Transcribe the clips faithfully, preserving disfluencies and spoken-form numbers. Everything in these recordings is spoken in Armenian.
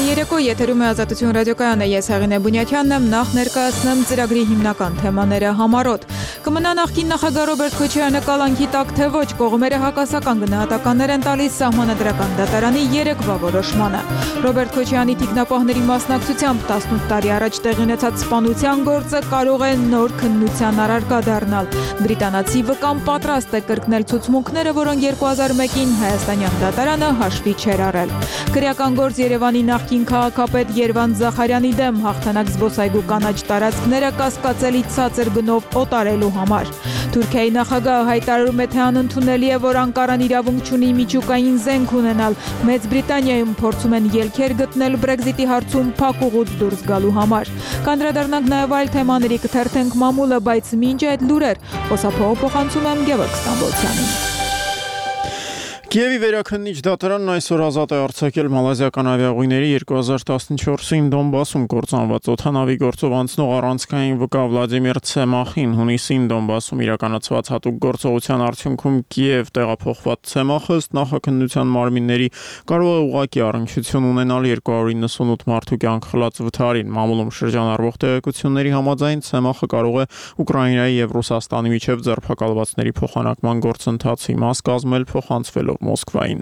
Երեկո եթերում է Ազատություն ռադիոկայանը, ես Հեղինե Բունյաթյանն եմ, նախ ներկայացնեմ ծրագրի հիմնական թեմաները համառոտ։ Կմնա նախկին նախագահ Ռոբերտ Քոչարյանը կալանքի տակ, թե ոչ, կողմերը հակասական գնահատականներ են տալիս Սահմանադրական դատարանի երեկվա որոշմանը։ Ռոբերտ Քոչարյանի թիկնապահների մասնակցությամբ տասնութ տարի առաջ տեղի ունեցած սպանության գործը կարող է նոր քննության առարկա դառնալ։ Բրիտանացի վկան պատրաստ է կրկնել ցուցմունքները, որոնք երկու հազար մեկին հայաստանյան դատարանը հաշվի չէր առել։ Քրեական գործ Երևանի նախկին քաղաքապետ Երվանդ Զախարյանի դեմ հաղթանակ զբոսայգու կանաչ տարածքները կասկածելի ցածր գնով օտարելու համար։ Թուրքիայի նախագահը հայտարարում է, թե անընդունելի է, որ Անկարան իրավունք չունի միջուկային զենք ունենալ։ Մեծ Բրիտանիայում փորձում են ելքեր գտնել Բրեքզիտի հարցում փակուղուց դուրս գալու համար։ Կանդրադառնանք նաև այլ թեմաների, կթերթենք մամուլը, բայց մինչ այդ լուրեր, խոսափողը փոխանցում եմ Գևորգ Ստամբոլցյանին։ Կիևի վերաքննիչ դատարանն այսօր ազատ է արձակել մալազիական ավիաուղիների երկու հազար տասնչորսին Դոնբասում կործանված օդանավի գործով անցնող առանցքային վկա Վլադիմիր Ցեմախին։ Հունիսին Դոնբասում իրականացված հատուկ գործողության արդյունքում Կիև տեղափոխված Ցեմախը ըստ նախաքննության մարմինների կարող է ուղղակի առնչություն ունենալ երկու հարյուր իննսունութ մարդու կյանք խլած վթարին։ Մամուլում շրջանառվող տեղեկությունների համաձայն Ցեմախը կարող է Ուկրաինայի եւ Ռուսաստանի միջև ձերբակալվածների փոխանակման գործընթացի մաս կազմել, փոխանցվելով Մոսկվային։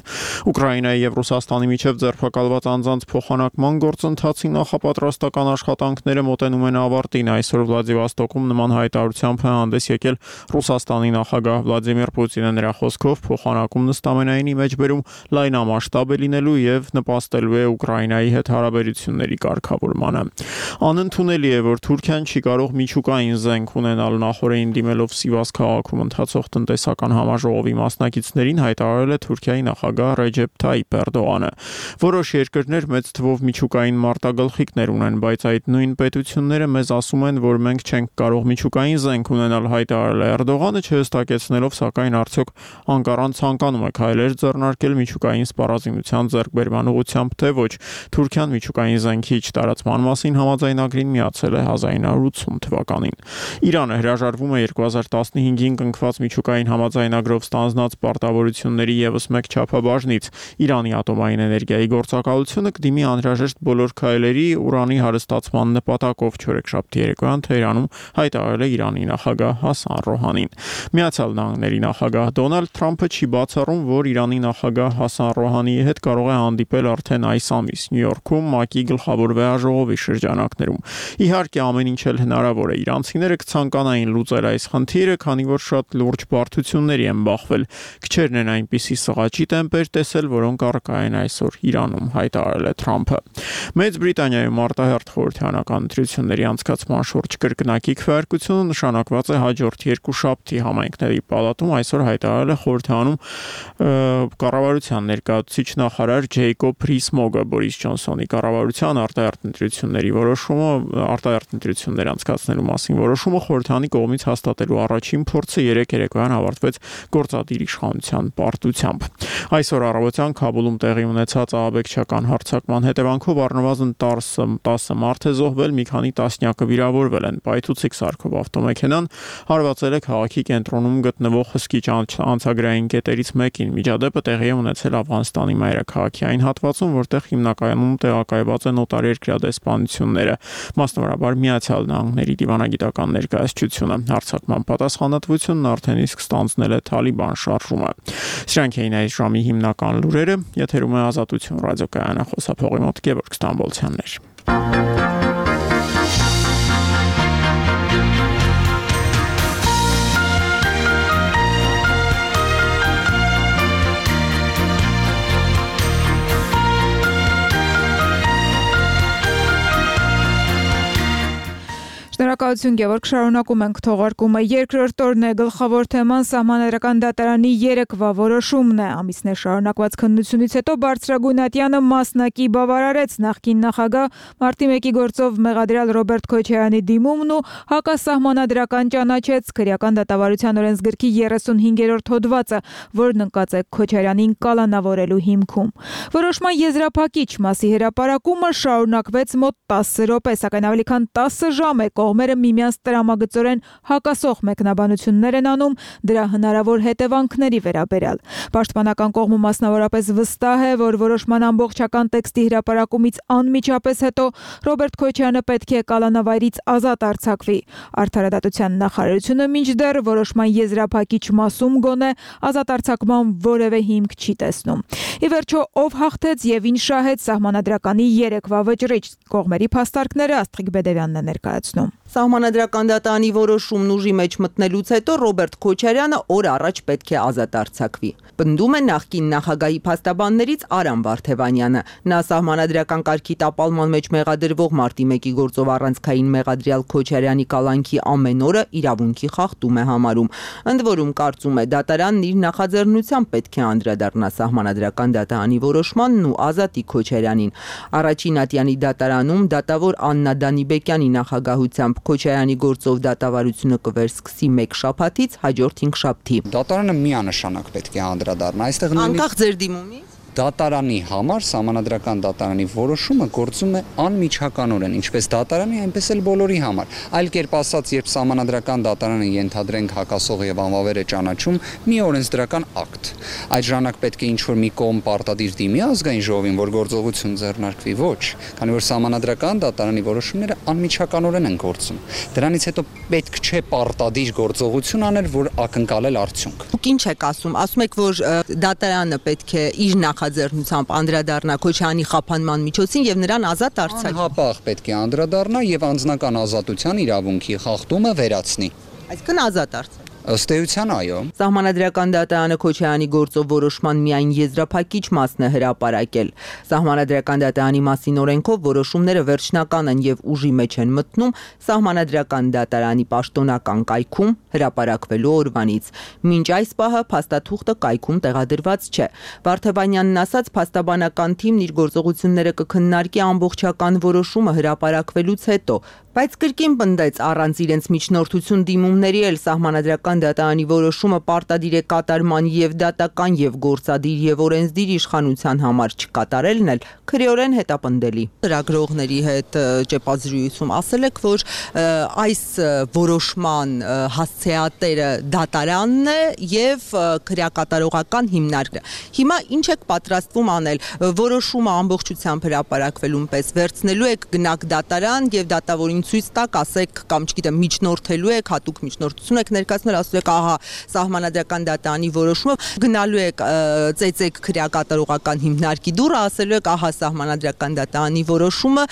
Ուկրաինայի եւ Ռուսաստանի միջև ձերբակալված անձանց փոխանակման գործընթացի նախապատրաստական աշխատանքները մոտենում են ավարտին։ Այսօր Վլադիվոստոկում նման հայտարարությամբ է հանդես եկել Ռուսաստանի նախագահ Վլադիմիր Պուտինը։ Նրա խոսքով փոխանակումն ըստ ամենայնի մեջբերում լայնամասշտաբ է լինելու եւ նպաստելու է Ուկրաինայի հետ հարաբերությունների կարգավորմանը։ Անընդունելի է, որ Թուրքիան չի կարող միջուկային զենք ունենալ։ Նախորդին դիմելով Սիվաս քաղաքում ընթացող տնտեսական համաժողովի մասնակիցներին հայտարարել է Թուրքիայի նախագահ Ռեջեփ Թայիփ Էրդողանը։ Որոշ երկրներ մեծ թվով միջուկային մարտագլխիկներ ունեն, բայց այդ նույն պետությունները մեզ ասում են, որ մենք չենք կարող միջուկային զենք ունենալ, հայտարարել է Էրդողանը, չհստակեցնելով, սակայն արդյոք Անկարան ցանկանում է քայլեր ձեռնարկել միջուկային սպառազինության ձեռքբերման ուղղությամբ, թե ոչ։ Թուրքիան միջուկային զենքի չտարածման մասին համաձայնագրին միացել է հազար ինը հարյուր ութսուն թվականին։ Իրանը հրաժարվում է երկու հազար տասնհինգին կնքված միջուկային համաձայնագրով ստանձնած պարտավորությունների եւս մեկ չափաբաժնից։ Իրանի ատոմային էներգիայի գործակալությունը կդիմի անհրաժեշտ բոլոր քայլերի ուրանի հարստացման նպատակով, չորեքշաբթի երեկոյան Թեհրանում հայտարարել է Իրանի նախագահ Հասան Ռոհանին։ Միացյալ Նահանգների նախագահ Դոնալդ Թրամփը չի բացառում, որ Իրանի նախագահ Հասան Ռոհանիի հետ կարող է հանդիպել արդեն այս ամիս Նյու Յորքում ՄԱԿ-ի գլխավոր վեհաժողովի շրջանակներում։ Իհարկե, ամեն ինչ էլ հնարավոր է։ Իրանցիները կցանկանային լուծել այս խնդիրը, քանի որ շատ լուրջ բարդությունների են բախվել։ Քչերն են այնպիսի սղաճի տեմպեր տեսել, որոնք առկա են այսօր Իրանում, հայտարարել է Թրամփը։ Մեծ Բրիտանիայում արտահերթ խորհրդարանական ընտրությունների անցկացման շուրջ կրկնակի քվեարկությունը նշանակված է հաջորդ երկուշաբթի համայնքների պալատում, այսօր հայտարարել է խորհրդարանում կառավարության ներկայացուցիչ նախարար Ջեյկոբ Ռիս-Մոգը։ Բորիս Ջոնսոնի կառավարության արտահերթ ընտրությունների որոշումը, արտահերթ ընտրություններ անցկացնելու մասին որոշումը խորհրդարանի կողմից հաստատելու առաջին փորձը երեկ երեկոյան ավարտվեց գործադիր իշխանության պարտությամբ։ Այսօր առավոտյան Քաբուլում տեղի ունեցած ահաբեկչական հարձակման հետևանքով առնվազն տասը մարդ է զոհվել, մի քանի տասնյակը վիրավորվել են։ Պայթուցիկ սարքով ավտոմեքենան հարվածել է քաղաքի կենտրոնում գտնվող հսկիչ անցագրային կետերից մեկին։ Միջադեպը տեղի է ունեցել Աֆղանստանի մայրաքաղաքի այն հատվածում, որտեղ հիմնականում տեղակայված են օտարերկրյա դեսպանությունները, մասնավորաբար Միացյալ Նահանգների դիվանագիտական ներկայացությունը։ Հարձակման պատասխանատվությունն արդեն իսկ ստանձնել է Թալիբան շարժումը։ Սրանք էին այս ժամի հիմնական լուրերը, եթերում է Ազատություն ռադիոկայանը, խոսափողի մոտ Գևորգ Ստամբոլցյանն էր։ Շնորհակալություն Գևորգ, շարունակում ենք թողարկումը։ Երկրորդ օրն է, գլխավոր թեման Սահմանադրական դատարանի երեկվա որոշումն է։ Ամիսներ շարունակված քննությունից հետո բարձրագույն ատյանը մասնակի բավարարեց նախկին նախագահ մարտի մեկի գործով մեղադրյալ Ռոբերտ Քոչարյանի դիմումն ու հակասահմանադրական ճանաչեց քրեական դատավարության օրենսգրքի երեսունհինգերորդ հոդվածը, որն ընկած է Քոչարյանին կալանավորելու հիմքում։ Որոշման եզրափակիչ մասի հրապարակումը շարունակվեց մոտ տասը րոպե, սակայն ավելի քան տասը ժամ է կողմերը կողմերը միմյանց տրամագծորեն հակասող մեկնաբանություններ են անում դրա հնարավոր հետևանքների վերաբերյալ։ Պաշտպանական կողմը մասնավորապես վստահ է, որ որոշման ամբողջական տեքստի հրապարակումից անմիջապես հետո Ռոբերտ Քոչարյանը պետք է կալանավայրից ազատ արձակվի։ Արդարադատության նախարարությունը մինչդեռ որոշման եզրափակիչ մասում գոնե ազատ արձակման որևէ հիմք չի տեսնում։ Ի վերջո, ով հաղթեց եւ ինչ շահեց սահմանադրականի երեկվա վճռիչ, կողմերի փաստարկները Աստղիկ Բեդևյանն է ներկայացնում։ Սահմանադրական դատարանի որոշումն ուժի մեջ մտնելուց հետո Ռոբերտ Քոչարյանը օր առաջ պետք է ազատ արձակվի։ Պնդում է նախկին նախագահի փաստաբաններից Արամ Վարդևանյանը։ Նա սահմանադրական կարգի տապալման մեջ մեղադրվող մարտի մեկի գործով առանցքային մեղադրյալ Քոչարյանի կալանքի ամեն օրը իրավունքի խախտում է համարում։ Ընդ որում կարծում է դատարանն իր նախաձեռնությամբ պետք է անդրադառնա սահմանադրական դատարանի որոշմանն ու ազատի Քոչարյանին։ Առաջին ատյանի դատարանում դատավոր Աննա Դանիբեկյանի նախագահությամբ Քոչարյանի գործով դատավարությունը կվերսկսի մեկ շաբաթից հաջորդ հինգշաբթի։ Դատարանը միանշանակ պետք է անդրադառնա այստեղ անկախ ձեր դիմումից դատարանի համար սահմանադրական դատարանի որոշումը գործում է անմիջականորեն, ինչպես դատարանի, այնպես էլ բոլորի համար։ Այլ կերպ ասած, երբ սահմանադրական դատարանը ենթադրենք հակասող եւ անվավեր է ճանաչում մի օրենսդրական ակտ, այդ ժամանակ պետք է ինչ-որ մի կողմ պարտադիր դիմի ազգային ժողովին, որ գործողություն ձեռնարկվի, ոչ, քանի որ սահմանադրական դատարանի որոշումները անմիջականորեն են գործում։ Դրանից հետո պետք չէ պարտադիր գործողություն անել, որ ակնկալել արդյունք։ Դուք ինչ եք ասում։ Ասում եք, որ դատարանը պետք է իր նախաձեռնությամբ անդրադառնա Քոչարյանի խափանման միջոցին եւ նրան ազատ արձակի։ Անհապաղ պետք է անդրադառնա եւ անձնական ազատության իրավունքի խախտումը վերացնի։ Այսինքն ազատ արձակի։ Ըստ էության, այո։ Սահմանադրական դատարանը Քոչարյանի գործով որոշման միայն եզրափակիչ մասն է հրապարակել։ Սահմանադրական դատարանի մասին օրենքով որոշումները վերջնական են եւ ուժի մեջ են մտնում Սահմանադրական դատարանի պաշտոնական կայքում հրապարակվելու օրվանից։ Մինչ այս պահը փաստաթուղթը կայքում տեղադրված չէ։ Վարդևանյանն ասաց, փաստաբանական թիմն իր գործողությունները կքննարկի ամբողջական որոշումը հրապարակվելուց հետո, բայց կրկին պնդեց առանց իրենց միջնորդություն դիմումների էլ Սահմանադրական դատարանի որոշումը պարտադիր է կատարման եւ դատական եւ գործադիր եւ օրենսդիր իշխանության համար չկատարելն էլ քրեորեն հետապնդելի։ Լրագրողների հետ ճեպազրույցում ասել եք, որ այս որոշման հասցեատերը դատարանն է եւ քրեակատարողական հիմնարկը։ Հիմա ինչ եք պատրաստվում անել։ Որոշումը ամբողջությամբ հրապարակվելուն պես վերցնելու եք գնաք դատարան եւ դատավորին ցույց տակ, ասեք կամ չգիտեմ միջնորդելու եք, հատուկ միջնորդություն եք ներկայացնել, ասում եք ահա Սահմանադրական դատարանի որոշումը, գնալու եք ծեծեք քրեակատարողական հիմնարկի դուռը, ասելու եք ահա Սահմանադրական դատարանի որոշումը,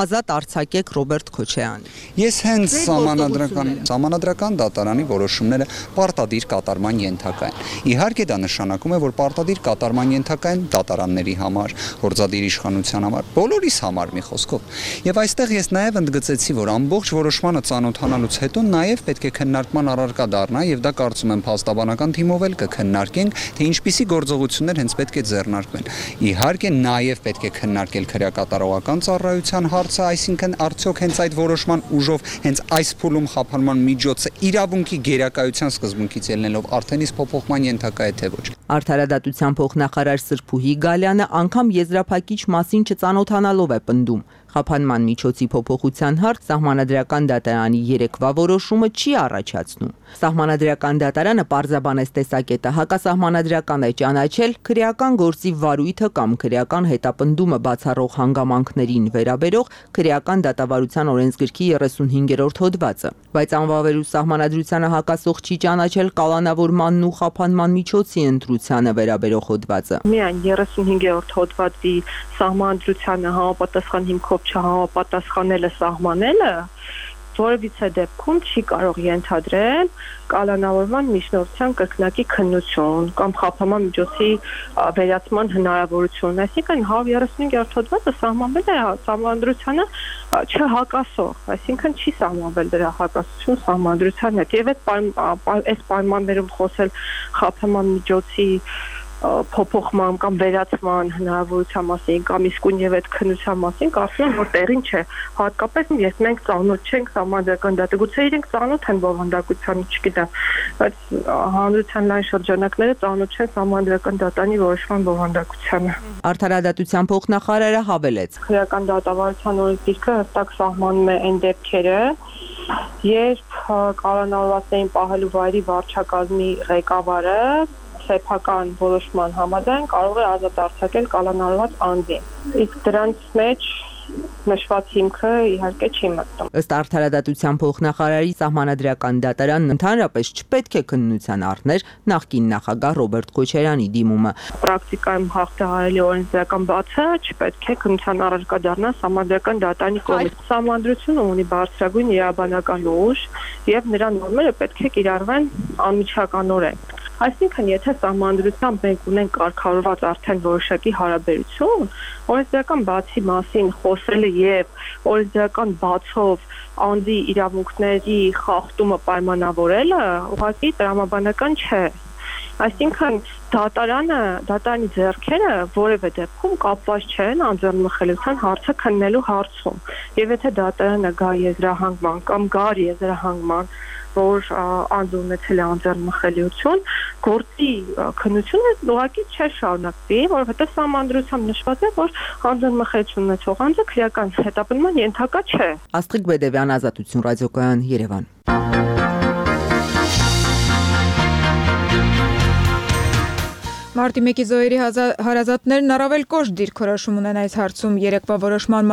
ազատ արձակեք Ռոբերտ Քոչարյանին։ Ես հենց Սահմանադրական Սահմանադրական դատարանի որոշումները պարտադիր կատարման ենթակա են։ Իհարկե դա նշանակում է, որ պարտադիր կատարման ենթակա են դատարանների համար, գործադիր իշխանության համար, բոլորիս համար մի խոսքով։ Եվ այստեղ ես նաև ընդգծեցի, որ ամբողջ որոշմանը ծանոթանալուց հետո նաև պետք է քննարկման առարկա դառնա եւ դա կարծում եմ փաստաբանական թիմով էլ կքննարկենք, թե ինչպիսի գործողություններ հենց պետք է ձեռնարկվեն։ Իհարկե նաև պետք է քննարկել քրեակատարողական ծառայության հարցը, այսինքն արդյոք հենց այդ որոշման ուժով հենց այս փուլում խափանման միջոցը իրավունքի գերակայության սկզբունքից ելնելով արդեն իսկ փոփոխման ենթակա է թե ոչ։ Արդարադատության փոխնախարար Սրփուհի Գալյանը անգամ եզրափակիչ մասին չծանոթանալով է պնդում։ Խափանման միջոցի փոփոխության հարց Սահմանադրական դատարանի երեկվա որոշումը չի առաջացնում։ Սահմանադրական դատարանը պարզաբանեց տեսակետը հակասահմանադրական է ճանաչել քրեական գործի վարույթը կամ քրեական հետապնդումը բացառող հանգամանքներին վերաբերող քրեական դատավարության օրենսգրքի երեսունհինգերորդ հոդվածը, բայց անվավերու սահմանադրությանը հակասող չի ճանաչել կալանավորմանն ու խափանման միջոցի ընտրությանը վերաբերող հոդվածը։ Միայն երեսունհինգերորդ հոդվածի սահմանադրությանը համապատասխան հիմքով չհամապատասխանելը սահմանելը որևիցե դեպքում չի կարող ենթադրել կալանավորման միջնորդության կրկնակի քննություն կամ խափանման միջոցի վերացման հնարավորություն։ Այսինքն հարյուր երեսունհինգերորդ հոդվածը սահմանվել է սահմանադրությանը չհակասող, այսինքն չի սահմանվել դրա հակասություն սահմանադրության հետ։ Եվ այդ պայմաններում խոսել խափանման միջոցի փոփոխման կամ վերացման հնարավորության մասին կամ իսկույն եւ այդ քննության մասին կարծում եմ որ տեղին չէ, հատկապես երբ մենք ծանոթ չենք Սահմանադրական դատարանի, գուցե իրենք ծանոթ են բովանդակությանը, չգիտեմ, բայց հանրության լայն շրջանակները ծանոթ չեն Սահմանադրական դատարանի որոշման բովանդակությանը։ Արդարադատության փոխնախարարը հավելեց. Քրեական դատավարության օրենսգիրքը հստակ սահմանում է այն դեպքերը, երբ կալանավորվածներին պահելու վայրի վարչակազմի ղեկավարը սեփական որոշման համաձայն կարող է ազատ արձակել կալանավորված անձին։ Իսկ դրանց մեջ նշված հիմքը իհարկե չի մտնում։ Ըստ Արդարադատության փոխնախարարի Սահմանադրական դատարանն ընդհանրապես չպետք է քննության առներ նախկին նախագահ Ռոբերտ Քոչարյանի դիմումը։ Պրակտիկայում հաղթահարելի օրենսդրական բացը չպետք է քննության առարկա դառնա Սահմանադրական դատարանի կողմից։ Սահմանադրությունը ունի բարձրագույն իրավաբանական ուժ եւ նրա նորմերը պետք է կիրառվեն անմիջականորեն։ Այսինքն, եթե սահմանադրությամբ մենք ունենք կարգավորված արդեն որոշակի հարաբերություն, օրենսդրական բացի մասին խոսելը եւ օրենսդրական բացով անձի իրավունքների խախտումը պայմանավորելը ուղղակի տրամաբանական չէ։ Այսինքն դատարանը, դատարանի ձեռքերը որևէ դեպքում կապված չեն անձեռնմխելիության հարցը քննելու հարցում։ Եվ եթե դատարանը գա եզրահանգման կամ գար եզրահանգման, որ անձը ունեցել է անձեռնմխելիություն, գործի քննությունը ուղղակի չէ շարունակվի, որովհետև սահմանադրությամբ նշված է, որ անձեռնմխելիություն ունեցող անձը քրեական հետապնդման ենթակա չէ։ Աստղիկ Բեդևյան, Ազատություն ռադիոկայան, Երևան։ Մարտի մեկի զոհերի հարազատներն առավել կոշտ դիրքորոշում ունեն այս հարցում, երեկվա որոշման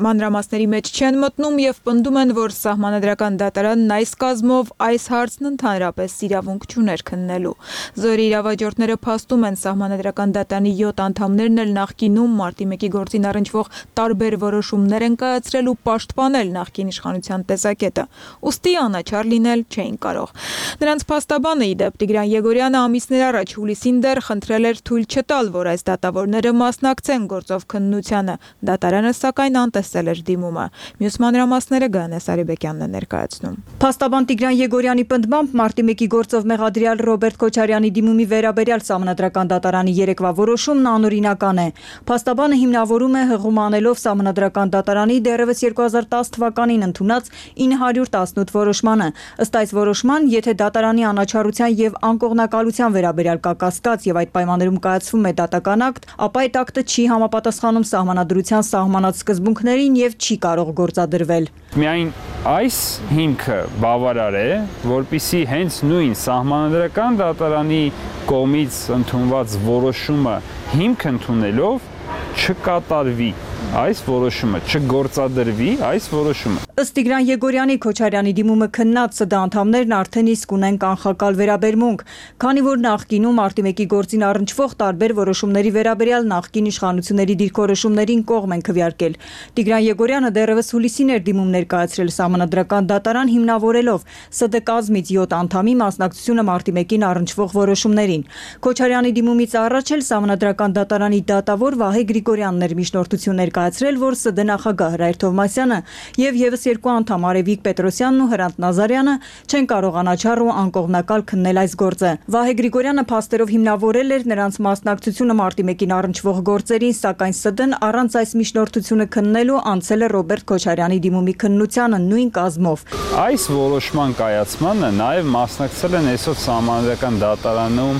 մանրամասների մեջ չեն մտնում եւ պնդում են, որ Սահմանադրական դատարանն այս կազմով այս հարցն ընդհանրապես իրավունք չուներ քննելու։ Զոհերի իրավաճորտները փաստում են Սահմանադրական դատարանի յոթ անդամներն էլ նախկինում մարտի մեկի գործին առնչվող տարբեր որոշումներ են կայացրել ու պաշտպանել նախկին իշխանության տեսակետը, ուստի անաչառ լինել չէին կարող։ Նրանց փաստաբանը ի դեպ Տիգրան Եգորյանը ամիսներ առաջ հուլիսին դեռ խնդրել էր թույլ չտալ, որ այս դատավորները մասնակցեն գործով քննությանը։ Դատարանը սակայն անտեսել էր դիմումը։ Մյուս մանրամասները Գայանե Սարիբեկյանն է ներկայացնում։ Փաստաբան Տիգրան Եգորյանի պնդմամբ մարտի մեկի գործով մեղադրյալ Ռոբերտ Քոչարյանի դիմումի վերաբերյալ Սահմանադրական դատարանի երեկվա որոշումն անօրինական է։ Փաստաբանը հիմնավորում է հղում անելով Սահմանադրական դատարանի դեռևս երկու հազար տասը թվականին ընդունած ինը հարյուր տասնութ որոշմանը։ Ըստ այս որոշման, եթե դատարանի անաչառության եւ անկողնակալության վերաբերյալ կա կասկած եւ այդ պայմաններում կայացվում է դատական ակտ, ապա այդ ակտը չի համապատասխանում Սահմանադրության սահմանած սկզբունքներին եւ չի կարող գործադրվել։ Միայն այս հիմքը բավարար է, որպիսի հենց նույն Սահմանադրական դատարանի կողմից ընդունված որոշումը հիմք ընդունելով չկատարվի այս որոշումը, չգործադրվի այս որոշումը։ Ըստ Տիգրան Եգորյանի Քոչարյանի դիմումը քննած ՍԴ անդամներն արդեն իսկ ունեն կանխակալ վերաբերմունք, քանի որ նախկինում մարտի մեկի գործին առնչվող տարբեր որոշումների վերաբերյալ նախկին իշխանությունների դիրքորոշումներին կողմ են քվեարկել։ Տիգրան Եգորյանը դեռևս հուլիսին էր դիմում ներկայացրել Սահմանադրական դատարան հիմնավորելով ՍԴ կազմից յոթ անդամի մասնակցությունը մարտի մեկին առնչվող որոշումներին։ Քոչարյանի դիմումից առաջ էլ Սահմանադրական դատարանի դատավոր Վահե Գրիգորյանն էր միջնորդություն ներկայացրել, որ ՍԴ նախագահ Հրայր Թովմասյանը եւ եւս երկու անդամ Արևիկ Պետրոսյանն ու Հրանտ Նազարյանը չեն կարող անաչառ ու անկողնակալ քննել այս գործը։ Վահե Գրիգորյանը փաստերով հիմնավորել էր նրանց մասնակցությունը մարտի մեկին առնչվող գործերին, սակայն ՍԴ-ն առանց այս միջնորդությունը քննելու անցել է Ռոբերտ Քոչարյանի դիմումի քննությանը նույն կազմով։ Այս որոշման կայացմանը նաեւ մասնակցել են այսօր Սահմանադրական դատարանում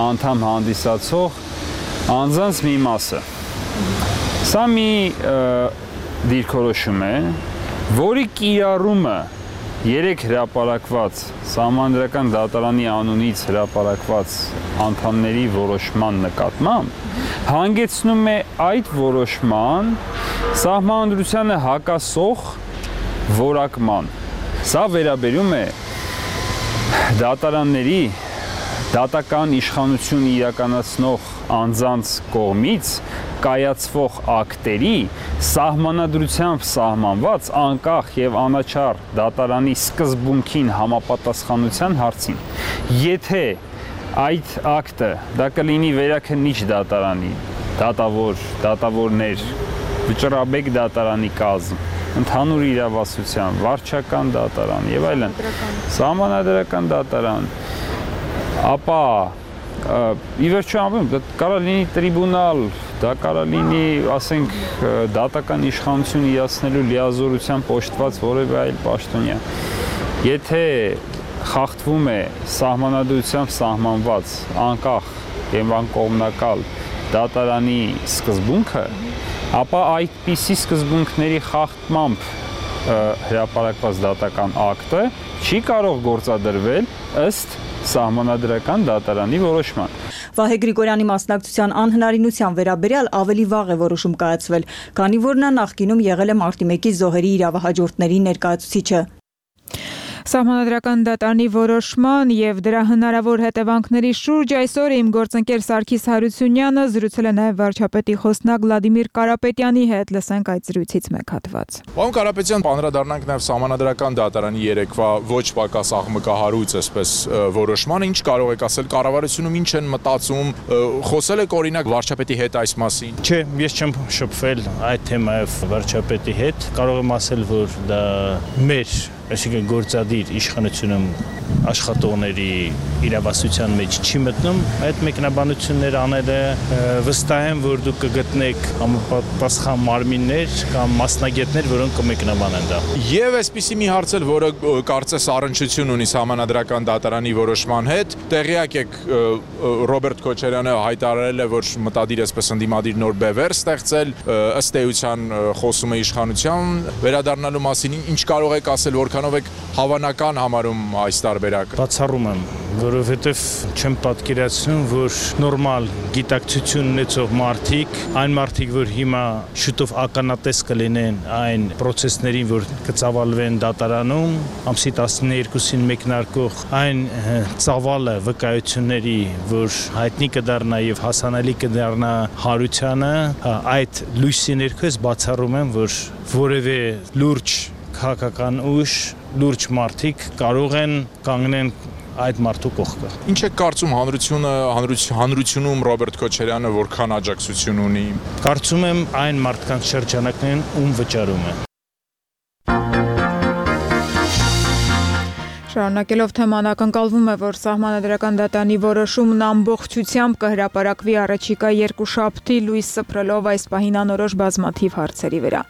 անդամ հանդիսացող անձանց մի մասը։ Սա մի դիրքորոշում է, որի կիրառումը երեք հրապարակված Սահմանադրական դատարանի անունից հրապարակված անդամների որոշման նկատմամբ հանգեցնում է այդ որոշման Սահմանադրությանը հակասող որակման։ Սա վերաբերում է դատարանների դատական իշխանություն իրականացնող անձանց կողմից կայացվող ակտերի սահմանադրությամբ սահմանված անկախ եւ անաչառ դատարանի սկզբունքին համապատասխանության հարցին։ Եթե այդ ակտը դա կլինի վերաքննիչ դատարանի, դատավոր, դատավորներ, վճռաբեկ դատարանի կազմ, ընդհանուր իրավասության, վարչական դատարան եւ այլն, սահմանադրական դատարան, ապա ի վերջո ամեն դա կարող լինի տրիբունալ, դա կարող լինի, ասենք, դատական իշխանություն իրացնելու լիազորությամբ պոշտված որևէ այլ պաշտոնյա։ Եթե խախտվում է սահմանադրությամբ սահմանված անկախ եւ անկողմնակալ դատարանի սկզբունքը, ապա այդպիսի սկզբունքների խախտմամբ հրապարակված դատական ակտը չի կարող գործադրվել ըստ սահմանադրական դատարանի որոշման։ Վահե Գրիգորյանի մասնակցության անհնարինության վերաբերյալ ավելի վաղ է որոշում կայացվել, քանի որ նա նախկինում եղել է մարտի մեկի զոհերի իրավահաջորդների ներկայացուցիչը։ Սահմանադրական դատարանի որոշման եւ դրա հնարավոր հետևանքների շուրջ այսօր իմ գործընկեր Սարգիս Հարությունյանը զրուցել է նաեւ վարչապետի խոսնակ Վլադիմիր Կարապետյանի հետ, լսենք այդ զրույցից մեկ հատված։ Պարոն Կարապետյան, անդրադառնանք նաեւ սահմանադրական դատարանի երեկվա ոչ պակաս աղմկահարույց այսպես որոշմանը, ինչ կարող եք ասել կառավարությունում ինչ են մտածում, խոսել եք օրինակ վարչապետի հետ այս մասին։ Չէ, ես չեմ շփվել այդ թեմայով վարչապետի հետ, կարող եմ ասել, որ դա մեր այսինքն գործադիր իշխանությունում աշխատողների իրավասության մեջ չի մտնում այդ մեկնաբանությունները անելը, վստահ եմ, որ դուք կգտնեք համապատասխան մարմիններ կամ մասնագետներ, որոնք կմեկնաբանեն դա։ Եվ այսպիսի մի հարց էլ, որը կարծես առնչություն ունի սահմանադրական դատարանի որոշման հետ, տեղյակ եք Ռոբերտ Քոչարյանը հայտարարել է, որ մտադիր այսպես ընդդիմադիր նոր բևեռ ստեղծել, ըստ էության խոսում է իշխանության վերադառնալու մասին, ինչ կարող եք ասել, որքանով եք հավանական համարում այս տարբերակը։ Բացառում եմ, որովհետև չեմ պատկերացնում, որ նորմալ գիտակցություն ունեցող մարդիկ, այն մարդիկ, որ հիմա շուտով ականատես կլինեն այն process-ներին, որ կծավալվեն դատարանում, ամսի տասներկուսին մեկնարկող այն ծավալը վկայությունների, որ հայտնի կդառնա եւ հասանելի կդառնա Հարությանը, այդ լույսի ներքո ես բացառում եմ, որ որևէ լուրջ քաղաքական ուժ, լուրջ մարդիկ կարող են կանգնեն այդ մարդու կողքը։ Ինչ է կարծում հանրությունը, հանրությունում Ռոբերտ Քոչարյանը որքան աջակցություն ունի։ Կարծում եմ այն մարդկանց շրջանակներն ում վճարում է։ Շարունակելով թեման ակնկալվում է, որ սահմանադրական դատարանի որոշումն ամբողջությամբ կհրապարակվի առաջիկա երկուշաբթի լույս սփռելով այս պահին անորոշ բազմաթիվ հարցերի վրա։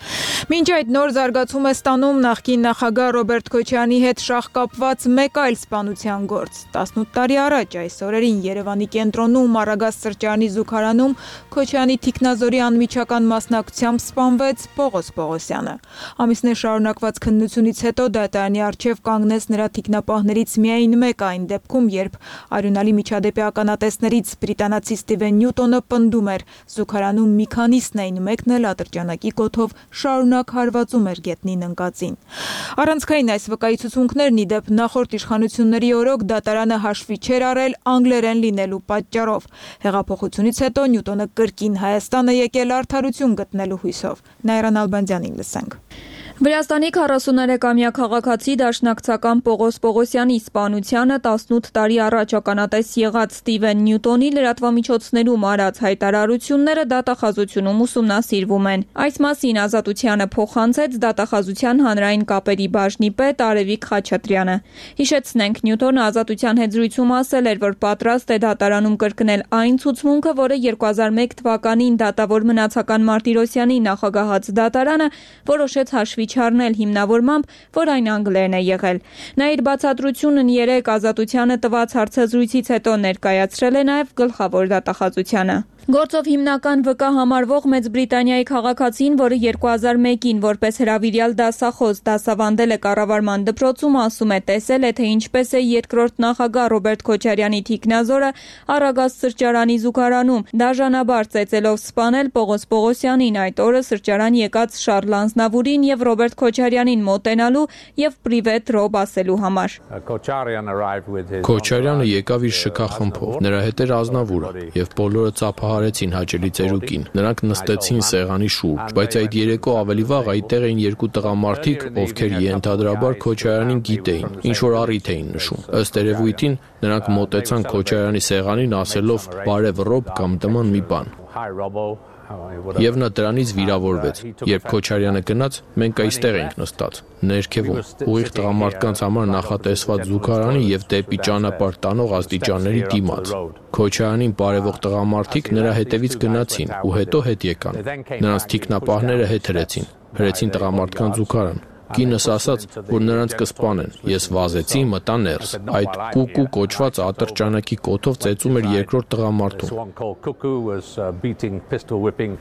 Մինչ այդ նոր զարգացում է ստանում նախկին նախագահ Ռոբերտ Քոչարյանի հետ շահկապված մեկ այլ սպանության գործ։ տասնութ տարի առաջ այս օրերին Երևանի կենտրոնում Արագած սրճարանի զուգարանում Քոչարյանի թիկնազորի անմիջական մասնակցությամբ սպանվեց Պողոս Պողոսյանը։ Ամիսներ շարունակված քննությունից հետո դատարանի առջև կանգնեց նրա թիկնապահներից միայն մեկ այն դեպքում, երբ արյունալի միջադեպի ականատեսներից բրիտանացի Ստիվեն Նյուտոնը պնդում էր, զուգարանում մի քանիսն էին, մեկն էլ ատրճանակի կոթով շարունակ հարվածում էր գետնին ընկածին։ Առանցքային այս վկայություններն ի դեպ նախորդ իշխանությունների օրոք դատարանը հաշվի չէր առել անգլերեն լինելու պատճառով։ Հեղափոխությունից հետո Նյուտոնը կրկին Հայաստան է եկել արդարություն գտնելու հույսով։ Նայրան Ալբանդյանին լսենք։ Վրաստանի քառասուներեքամյա քաղաքացի դաշնակցական Պողոս Պողոսյանի սպանությանը տասնութ տարի առաջ ականատես եղած Ստիվեն Նյուտոնի լրատվամիջոցներում արած հայտարարությունները դատախազությունում ուսումնասիրվում են։ Այս մասին Ազատությանը փոխանցեց դատախազության հանրային կապերի բաժնի պետ Արևիկ Խաչատրյանը։ Հիշեցնենք, Նյուտոնը Ազատության հետ զրույցում ասել էր, որ պատրաստ է դատարանում կրկնել այն ցուցմունքը, որը երկու հազար մեկ թվականին դատավոր մնացական Մարտիրոսյանի նախագահած դատարանը որոշեց հաշվի չառնել հիմնավորմամբ, որ այն անգլերեն է եղել։ Նա իր բացատրությունն երեկ Ազատությանը տված հարցազրույցից հետո ներկայացրել է նաև գլխավոր դատախազությանը։ Գործով հիմնական վկա համարվող Մեծ Բրիտանիայի քաղաքացին, որը երկու հազար մեկին որպես հրավիրյալ դասախոս դասավանդել է կառավարման դպրոցում, ասում է տեսել է, թե ինչպես է երկրորդ նախագահ Ռոբերտ Քոչարյանի թիկնազորը Արագած սրճարանի զուգարանում դաժանաբար ծեծելով սպանել Պողոս Պողոսյանին, այդ օրը սրճարան եկած Շառլ Անձնավուրին եւ Ռոբերտ Քոչարյանին մոտենալու եւ պրիվետ ռոբ ասելու համար։ Քոչարյանը եկավ իր շքախմբով, նրա հետ էր Ազնավուրը եւ բոլորը ծափահարեցին հաճելի ծերուկին։ Նրանք նստեցին սեղանի շուրջ, բայց այդ երեկո ավելի վաղ այդտեղ էին երկու տղամարդիկ, ովքեր ենթադրաբար Քոչարյանին գիտեին, ինչ որ առիթ էին նշում։ Ըստ երևույթին նրանք մոտեցան Քոչարյանի սեղանին ասելով «բարև ռոբ» կամ նման մի բան։ Եվ նա դրանից վիրավորվեց։ Երբ Քոչարյանը գնաց, մենք այստեղ էինք նստած, ներքևում, ուղիղ տղամարդկանց համար նախատեսված զուգարանի եւ դեպի ճանապարհ տանող աստիճանների դիմաց։ Քոչարյանին բարևող տղամարդիկ նրա հետևից գնացին ու հետո հետ եկան։ Նրանց թիկնապահները հետ հրեցին, հրեցին տղամարդկանց զուգարան։ Կինս ասաց, որ նրանց կսպանեն։ Ես վազեցի, մտա ներս։ Այդ կուկու կոչված ատրճանակի կոթով ծեծում էր երկրորդ տղամարդուն։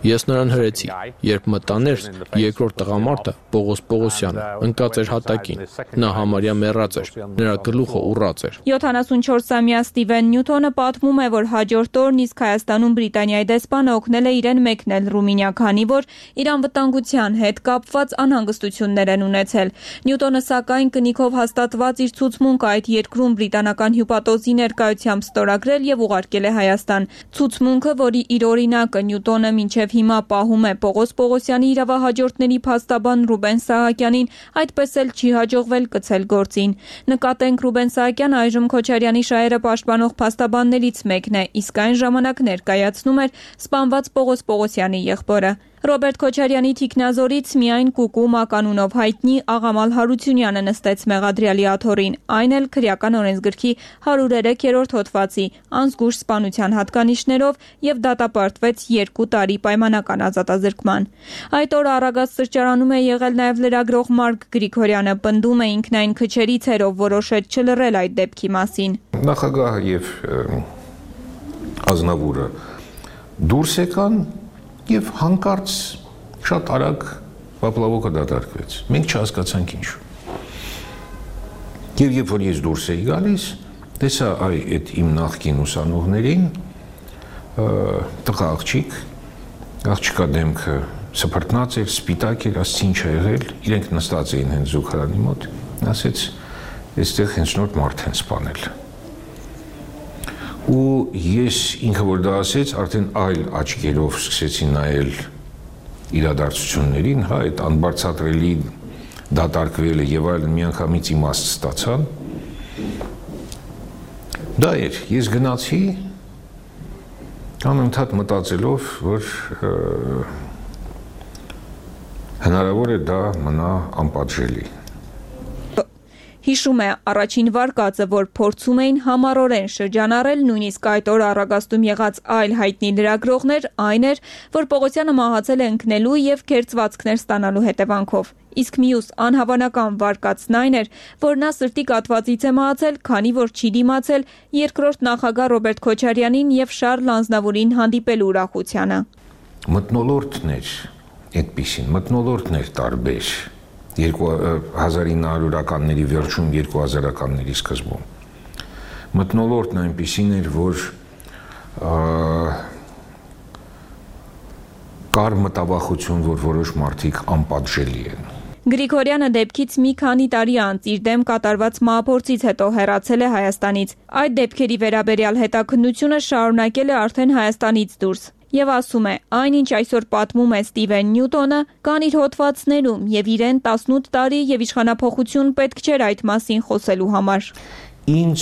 Ես նրան հրեցի։ Երբ մտա ներս, երկրորդ տղամարդը Պողոս Պողոսյանը ընկած էր հատակին։ Նա համարյա մեռած էր։ Նրա գլուխը ուռած էր։ յոթանասունչորսամյա Ստիվեն Նյուտոնը պատմում է, որ հաջորդ օրն իսկ Հայաստանում Բրիտանիայի դեսպանը օգնել է իրեն մեկնել Ռումինիա, քանի որ իր անվտանգության հետ կապված անհանգստություններ են ունեցել։ Նյուտոնը սակայն կնիքով հաստատված իր ցուցմունքը այդ երկրում բրիտանական հյուպատոսի ներկայությամբ ստորագրել եւ ուղարկել է Հայաստան։ Ցուցմունքը, որի իր օրինակը Նյուտոնը մինչև հիմա պահում է Պողոս Պողոսյանի իրավահաջորդների փաստաբան Ռուբեն Սահակյանին, այդպես էլ չի հաջողվել կցել գործին։ Նկատենք Ռուբեն Սահակյանը այժմ Քոչարյանի շահերը պաշտպանող փաստաբաններից մեկն է, իսկ այն ժամանակ ներկայացնում էր սպանված Պողոս Պողոսյանի եղբորը։ Ռոբերտ Քոչարյանի թիկնազորից միայն Կուկու մականունով հայտնի Աղամալ Հարությունյանը նստեց մեղադրյալի աթոռին, այն էլ քրեական օրենսգրքի հարյուր երեք հոդվածի անզգույշ սպանության հատկանիշներով եւ դատապարտվեց երկու տարի պայմանական ազատազրկման։ Այդ օրը Արագած սրճարանում է եղել նաեւ լրագրող Մարկ Գրիգորյանը, պնդում է ինքնայն քչերից էր, ով որոշեց չլռել այդ դեպքի մասին։ Նախագահը եւ Ազնավուրը դուրս եկան եւ հանկարծ շատ արագ պապլավոկը դատարկվեց։ Մենք չհասկացանք ինչու։ Եվ երբ որ ես դուրս էի գալիս, տեսա այ այդ իմ նախկին ուսանողներին, տղա աղջիկ, աղջկա դեմքը սփռտնած էր, սպիտակ էր, ասեցի ինչ ա եղել, իրենք նստած էին հենց զուգարանի մոտ, ասեց, այստեղ հենց նոր մարդ են սպանել։ Ու ես ինքը որ դա ասեց, արդեն այլ աչքերով սկսեցի նայել իրադարձություններին, հա, այդ անբարձատրելի դատարկվելը եւ այլն միանգամից իմաստ ստացան։ Դա էր, ես գնացի անընդհատ մտածելով, որ հնարավոր է դա մնա անպատժելի։ Հիշում է առաջին վարկածը, որ փորձում էին համառորեն շրջանառել, նույնիսկ այդ օր Արագաստում եղած այլ հայտնի լրագրողներ, այն էր, որ Պողոսյանը մահացել է ընկնելու եւ քերծվածքներ ստանալու հետևանքով։ Իսկ մյուս անհավանական վարկածն այն էր, որ նա սրտի կաթվածից է մահացել, քանի որ չի դիմացել երկրորդ նախագահ Ռոբերտ Քոչարյանին եւ Շարլ Ազնավուրին հանդիպելու ուրախությանը։ Մթնոլորտներ այդպիսին, մթնոլորտներ տարբեր հազար ինը հարյուրականների վերջում, երկու հազարականների սկզբում։ Մթնոլորտն այնպիսին էր, որ կար մտավախություն, որ որոշ մարդիկ անպատժելի են։ Գրիգորյանը դեպքից մի քանի տարի անց իր դեմ կատարված մահափորձից հետո հեռացել է Հայաստանից։ Այդ դեպքերի վերաբերյալ հետաքննությունը շարունակել է արդեն Հայաստանից դուրս։ Եվ ասում է, այնինչ այսօր պատմում է Ստիվեն Նյուտոնը, կան իր հոդվածներում եւ իրեն տասնութ տարի եւ իշխանափոխություն պետք չէր այդ մասին խոսելու համար։ Ինչ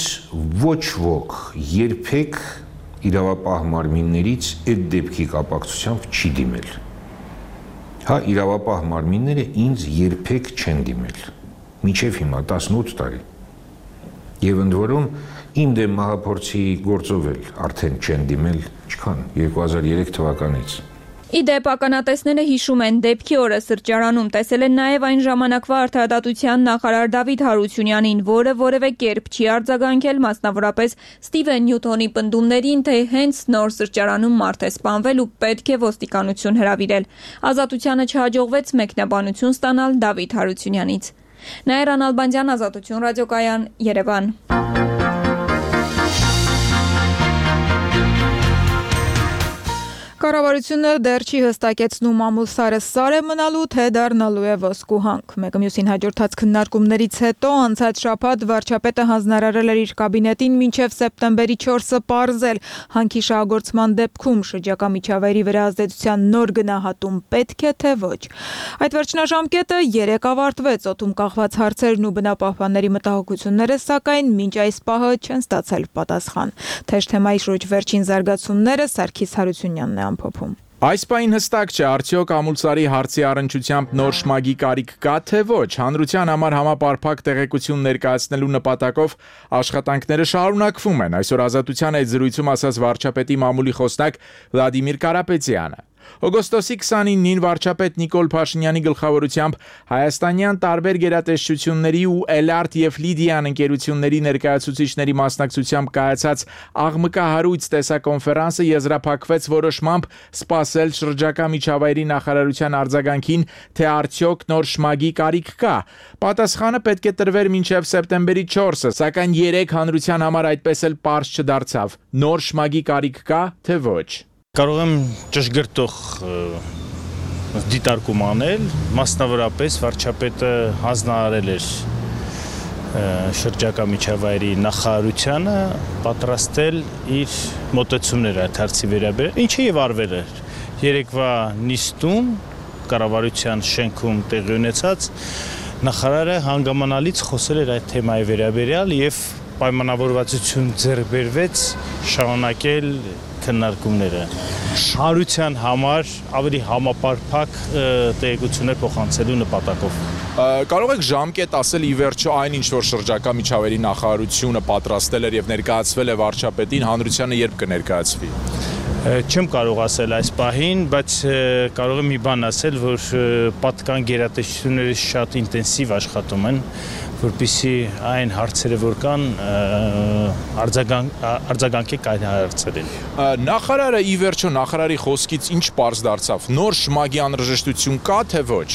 ոչ ոք երբեք իրավապահ մարմիններից այդ դեպքի կապակցությամբ չի դիմել։ Հա, իրավապահ մարմինները ինձ երբեք չեն դիմել։ Մինչև հիմա տասնութ տարի։ Եվ ընդ որում իմ դեմ մահափորձի գործով էլ արդեն չեն դիմել, չքան երկու հազար երեք թվականից։ Ի դեպ ականատեսները հիշում են դեպքի օրը սրճարանում տեսել են նաև այն ժամանակվա արդարադատության նախարար Դավիթ Հարությունյանին, որը որևէ կերպ չի արձագանքել մասնավորապես Ստիվեն Նյուտոնի պնդումներին, թե հենց նոր սրճարանում մարդ է սպանվել ու պետք է ոստիկանություն հրավիրել։ Ազատությանը չհաջողվեց մեկնաբանություն ստանալ Դավիթ Հարությունյանից։ Նաիրա Նալբանդյան, Ազատություն ռադիոկայան, Երևան։ Կառավարությունը դեռ չի հստակեցնում ամուսարը սար է մնալու, թե դառնալու է ոսկու հանք։ Մեկը մյուսին հաջորդած քննարկումներից հետո անցած շաբաթ վարչապետը հանձնարարել էր իր կաբինետին մինչև սեպտեմբերի չորսը պարզել հանքի շահագործման դեպքում շրջակա միջավայրի վրա ազդեցության նոր գնահատում պետք է թե ոչ։ Այդ վերջնաժամկետը երեկ ավարտվեց, օդում կախված հարցերն ու բնապահպանների մտահոգությունները սակայն մինչ այս պահը չեն ստացել պատասխան։ Թեժ թեմայի շուրջ վերջին զարգացումները Սարգիս Հարությունյանն է ամփոփում։ Այս պահին հստակ չէ, արդյոք ամուլսարի հարցի առնչությամբ նոր շմագի կարիք կա թե ոչ։ Հանրության համար համապարփակ տեղեկություն ներկայացնելու նպատակով աշխատանքները շարունակվում են։ Այսօր Ազատության այդ զրույցում ասաց վարչապետի մամուլի խոսնակ Վլադիմիր Կարապետյանը։ Օգոստոսի քսանինին վարչապետ Նիկոլ Փաշինյանի գլխավորությամբ հայաստանյան տարբեր գերատեսչությունների ու Էլարտ եւ Լիդիան ընկերությունների ներկայացուցիչների մասնակցությամբ կայացած աղմկահարույց տեսակոնֆերանսը եզրափակվեց որոշմամբ սպասել շրջակա միջավայրի նախարարության արձագանքին, թե արդյոք նոր շմագի կարիք կա։ Պատասխանը պետք է տրվեր մինչև սեպտեմբերի չորսը, սակայն երեք հանրության համար այդպես էլ պարզ չդարձավ։ Նոր շմագի կարիք կա, թե ոչ։ Կարող եմ ճշգրտող դիտարկում անել, մասնավորապես վարչապետը հանձնարարել էր շրջակա միջավայրի նախարարությանը պատրաստել իր մոտեցումները այդ հարցի վերաբերյալ, ինչը եւ արվել էր երեկվա նիստում կառավարության շենքում տեղի ունեցած նախարարը հանգամանալից խոսել էր այդ թեմայի վերաբերյալ եւ պայմանավորվածություն ձեռք բերվեց շարունակել քննարկումները հանրության համար ավելի համապարփակ տեղեկություններ փոխանցելու նպատակով։ Կարող եք ժամկետ ասել ի վերջո այն ինչ որ շրջակա միջավայրի նախարարությունը պատրաստել էր եւ ներկայացվել է վարչապետին, հանրությանը երբ կներկայացվի։ Չեմ կարող ասել այս պահին, բայց կարող եմ մի բան ասել, որ պատկան գերատեսչությունները շատ ինտենսիվ աշխատում են, որպեսզի այն հարցերը, որ կան, արձագանքեք այդ հարցերին։ Նախարարը ի վերջո նախարարի խոսքից ինչ պարզ դարձավ։ Նոր շմագի անհրաժեշտություն կա, թե ոչ։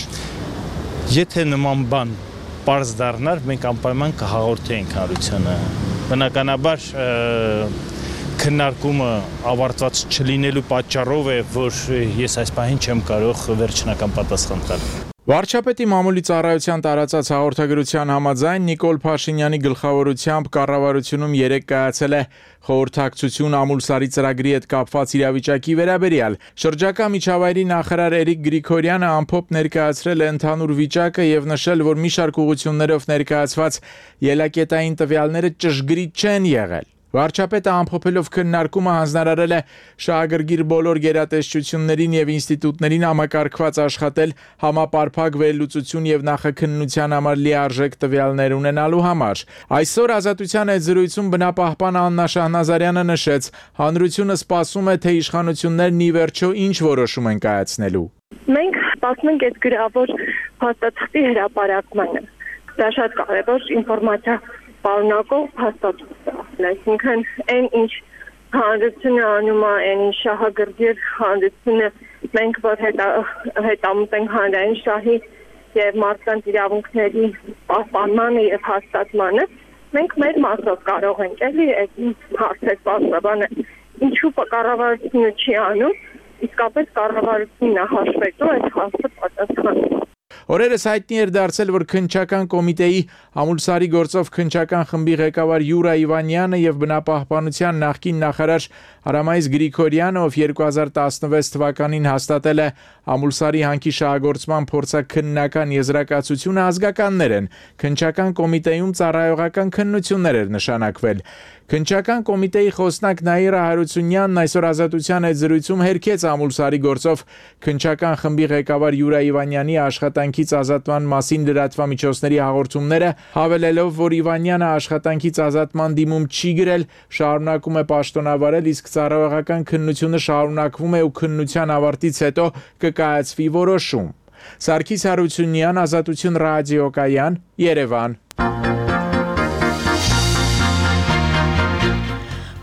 Եթե նման բան պարզ դառնար, մենք անպայման կհաղորդեինք հանրությանը։ Բնականաբար քննարկումը ավարտված չլինելու պատճառով է, որ ես այս պահին չեմ կարող վերջնական պատասխան տալ։ Վարչապետի մամուլի ծառայության տարածած հաղորդագրության համաձայն Նիկոլ Փաշինյանի գլխավորությամբ կառավարությունում երեկ կայացել է խորհրդակցություն ամուլսարի ծրագրի հետ կապված իրավիճակի վերաբերյալ։ Շրջակա միջավայրի նախարար Էրիկ Գրիգորյանը ամփոփ ներկայացրել է ընդհանուր վիճակը եւ նշել, որ մի շարք ուղղություններով ներկայացված ելակետային տվյալները ճշգրիտ չեն եղել։ Վարչապետը ամփոփելով քննարկումը հանձնարարել է շահագրգիռ բոլոր գերատեսչություններին եւ ինստիտուտներին համակարգված աշխատել համապարփակ վերլուծություն եւ նախաքննության համար լիարժեք տվյալներ ունենալու համար։ Այսօր Ազատության հետ զրույցում բնապահպան Աննա Շահնազարյանը նշեց, հանրությունը սպասում է, թե իշխանություններն ի վերջո ինչ որոշում են կայացնելու։ Մենք սպասում ենք այդ գրավոր փաստաթղթի հրապարակմանը։ Դա շատ կարևոր ինֆորմացիա պարունակող փաստաթուղթ է, այսինքն այն ինչ հանրությունը անում է, այն ինչ շահագրգիռ հանրությունը մենք որ հետամուտ ենք հանրային շահի եւ մարդկանց իրավունքների պահպանմանը եւ հաստատմանը, մենք մեր մասով կարող ենք էլի այդ հարցեր պատասխանել։ Ինչու կառավարությունը չի անում, իսկապես կառավարությունն է հաշվետու այդ հարցը պատասխանել։ Օրերս հայտնի էր դարձել, որ քննչական կոմիտեի ամուլսարի գործով քննչական խմբի ղեկավար Յուրա Իվանյանը եւ բնապահպանության նախկին նախարար Արամայիս Գրիգորյանը, ով երկու հազար տասնվեց թվականին հաստատել է ամուլսարի հանքի շահագործման փորձաքննական եզրակացությունը, ազգականներ են։ Քննչական կոմիտեում ծառայողական քննություններ էր նշանակվել։ Քննչական կոմիտեի խոսնակ Նաիրա Հարությունյանն այսօր Ազատության հետ զրույցում հերքեց ամուլսարի գործով քննչական խմբի ղեկավար Յուրա Իվանյանի աշխատանքից ազատման մասին լրատվամիջոցների հաղորդումները, հավելելով, որ Իվանյանը աշխատանքից ազատման դիմում չի գրել, շարունակում է պաշտոնավարել, իսկ ծառայողական քննությունը շարունակվում է ու քննության ավարտից հետո կկայացվի որոշում։ Սարգիս Հարությունյան, Ազատություն ռադիոկայան, Երևան։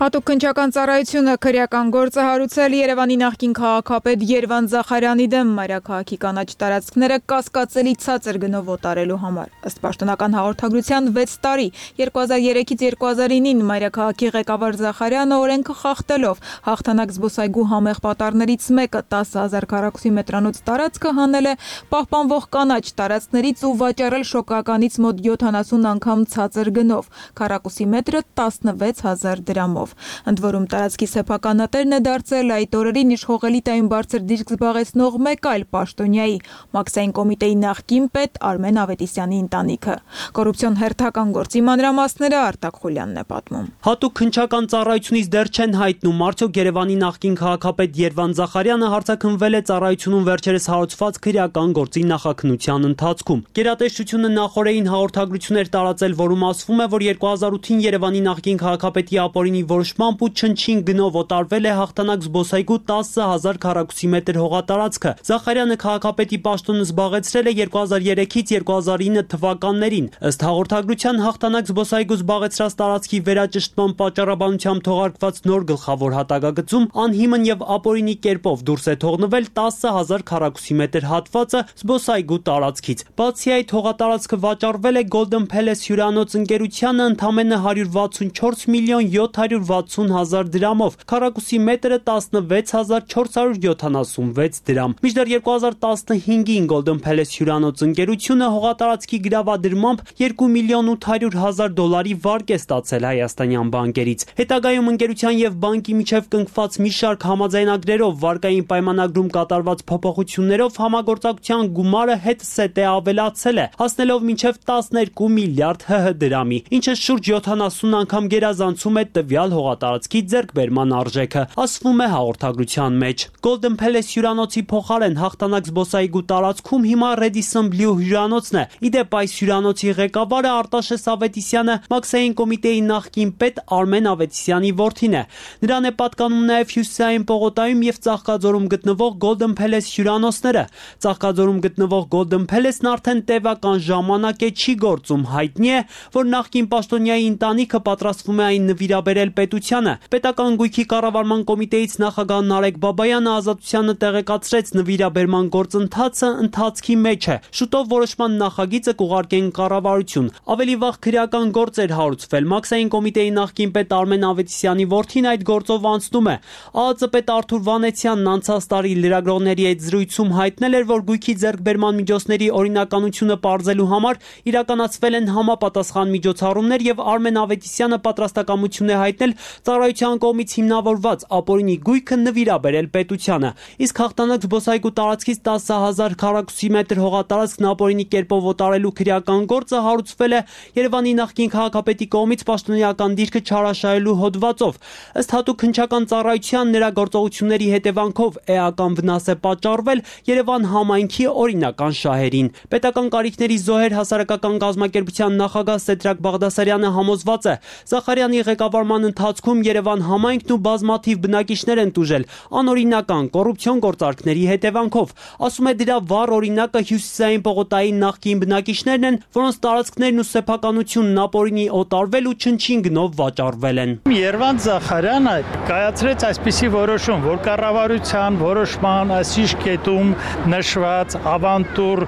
Հատուկ քննչական ծառայությունը քրեական գործ է հարուցել Երևանի նախկին քաղաքապետ Երվան Զախարյանի դեմ մայրաքաղաքի կանաչ տարածքները կասկածելի ցածր գնով օտարելու համար։ Ըստ պաշտոնական հաղորդագրության վեց տարի երկու հազար երեքից երկու հազար նոյն մայրաքաղաքի ղեկավար Զախարյանը օրենքը խախտելով հաղթանակ զբոսայգու համեղ պատառներից մեկը տասը հազար քառակուսի մետրանոց տարածքը հանել է պահպանվող կանաչ տարածքներից ու վաճառել շոկականից մոտ յոթանասուն անգամ ցածր գնով, քառակուսի մետրը տասնվեց հազար դրամով։ Ընդ որում տարածքի սեփականատերն է դարձել այդ օրերին իշխող էլիտայում բարձր դիրք զբաղեցնող մեկ այլ պաշտոնյայի մաքսային կոմիտեի նախկին պետ Արմեն Ավետիսյանի ընտանիքը։ Կոռուպցիոն հերթական գործի մանրամասները Արտակ Խուլյանն է պատմում։ Հատուկ քննչական ծառայությունից դեռ չեն հայտնում, արդյոք Երևանի նախկին քաղաքապետ Երվան Զախարյանը հարցաքննվել է ծառայությունում վերջերս հարուցված քրեական գործի նախաքննության ընթացքում։ Գերատեսչությունը նախորդին հաղորդագրություններ տարածել, որում ասվում է, որ երկու հազար ութին Երևանի նախկին քաղաքապետի ապօրինի որոշմամբ ու չնչին գնով օտարվել է հաղթանակ զբոսայգու տասը հազար քառակուսի մետր հողատարածքը։ Զախարյանը քաղաքապետի պաշտոնը զբաղեցրել է երկու հազար երեքից երկու հազար ինը թվականներին։ Ըստ հաղորդագրության հաղթանակ զբոսայգու զբաղեցրած տարածքի վերաճշտման պատճառաբանությամբ թողարկված նոր գլխավոր հատակագծում անհիմն եւ ապօրինի կերպով դուրս է թողնվել տասը հազար քառակուսի մետր հատվածը զբոսայգու տարածքից։ Բացի այդ, հողատարածքը վաճառվել է Golden Palace հյուրանոց ընկերությանը ընդամենը հարյուր վաթսունչորս միլիոն յոթ հարյուր վաթսուն հազար դրամով, քառակուսի մետրը տասնվեց հազար չորս հարյուր յոթանասունվեց դրամ։ Մինչդեռ երկու հազար տասնհինգին Golden Palace հյուրանոց ընկերությունը հողատարածքի գրավադրմամբ երկու միլիոն ութ հարյուր հազար դոլարի վարկ է ստացել հայաստանյան բանկերից։ Հետագայում ընկերության եւ բանկի միջև կնքված մի շարք համաձայնագրերով վարկային պայմանագրում կատարված փոփոխություններով համագործակցության գումարը հետսետ է ավելացել է, հասնելով մինչև տասներկու միլիարդ հ հ դրամի, ինչը շուրջ յոթանասուն անգամ գերազանցում է տվյալ հողատարածքի ձեռքբերման արժեքը, ասվում է հաղորդագրության մեջ։ Golden Palace հյուրանոցի փոխարեն հաղթանակ զբոսայգու տարածքում հիմա Radisson Blu հյուրանոցն է։ Իդեպ այս հյուրանոցի ղեկավարը Արտաշես Ավետիսյանը Մաքսային կոմիտեի նախկին պետ Արմեն Ավետիսյանի որդին է։ Նրան է պատկանում նաև Հյուսիսային պողոտայում եւ Ծաղկաձորում գտնվող Golden Palace հյուրանոցները։ Ծաղկաձորում գտնվող Golden Palace-ն արդեն տևական ժամանակ է չի գործում, հայտնի է, որ նախկին պաշտոնյայի ընտանիքը պատրաստվում է այն նվիրաբերել պետությանը։ Պետական գույքի կառավարման կոմիտեից նախագահ Նարեկ Բաբայանը ազատությանը տեղեկացրեց նվիրաբերման գործընթացը ընթացքի մեջ է։ Շուտով որոշման նախագիծը կուղարկեն կառավարություն։ Ավելի վաղ քրեական գործ էր հարուցվել։ Մաքսային կոմիտեի նախկին պետ Արմեն Ավետիսյանի որդին այդ գործով անցնում է։ ԱԱԾ պետ Արթուր Վանեցյանն անցած տարի լրագրողների հետ զրույցում հայտնել էր, որ գույքի ձեռքբերման միջոցների օրինականությունը պարզելու համար իրականացվել են համապատասխան միջոցառումներ եւ Արմեն Ավետիսյանը պատրաստակամություն է հայտնել ծառայության կողմից հիմնավորված ապօրինի գույքը նվիրաբերել պետությանը։ Իսկ հաղթանակ զբոսայգու տարածքից տասը հազար քառակուսի մետր հողատարածքն ապօրինի կերպով օտարելու քրեական գործը հարուցվել է Երևանի նախկին քաղաքապետի կողմից պաշտոնեական դիրքը չարաշահելու հոդվածով։ Ըստ հատուկ հնչական ծառայության նրա գործողությունների հետևանքով էական վնաս է պատճառվել Երևան համայնքի օրինական շահերին։ Պետական կարիքների զոհեր հասարակական կազմակերպության նախագահ Սեդրակ Բաղդասարյանը համոզված է, Զախարյանի ղեկավարման ընթացքում Երևան համայնքն ու բազմաթիվ բնակիչներ են տուժել անօրինական կոռուպցիոն գործարքների հետևանքով։ Ասում է, դրա վառ օրինակը Հյուսիսային պողոտայի նախկին բնակիչներն են, որոնց տարածքներն ու սեփականությունն ապօրինի օտարվել ու չնչին գնով վաճառվել են։ Երվանդ Զախարյանը կայացրեց այսպիսի որոշում, որ կառավարության որոշման այսիշ կետում նշված ավանտուր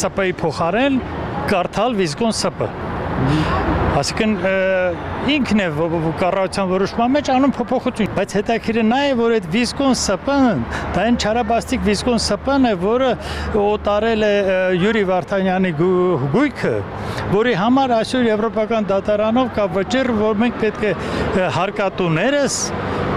ՍՊ-ի փոխարեն կարդալ Վիզկոն ՍՊ։ Այսինքն ինքն է կառավարության որոշման մեջ անում փոփոխություն, բայց հետաքրքիրը նա է, որ այդ Վիզկոն ՍՊ-ն, դա այն չարաբաստիկ Վիզկոն ՍՊ-ն է, որը օտարել է Յուրի Վարդանյանի գույքը, որի համար այսօր եվրոպական դատարանով կա վճիռ, որ մենք պետք է հարկատուներս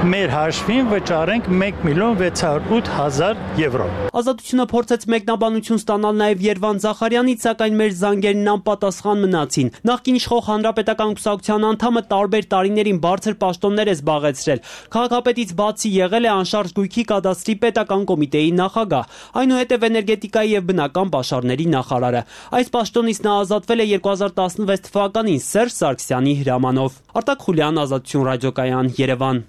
մեր հաշվին վճարենք մեկ միլիոն վեց հարյուր ութ հազար եվրո։ Ազատությունը փորձեց մեկնաբանություն ստանալ նաև Երվան Զախարյանից, սակայն մեր զանգերն անպատասխան մնացին։ Նախկին իշխող հանրապետական կուսակցության անդամը տարբեր տարիներին բարձր պաշտոններ է զբաղեցրել։ Քաղաքապետից բացի եղել է անշարժ գույքի կադաստրի պետական կոմիտեի նախագահ, այնուհետև էներգետիկայի եւ բնական պաշարների նախարարը։ Այս պաշտոնից նա ազատվել է երկու հազար տասնվեց թվականին Սերժ Սարգսյանի հրամանով։ Արտակ Խուլյան, Ազատություն ռադիոկայան, Երևան։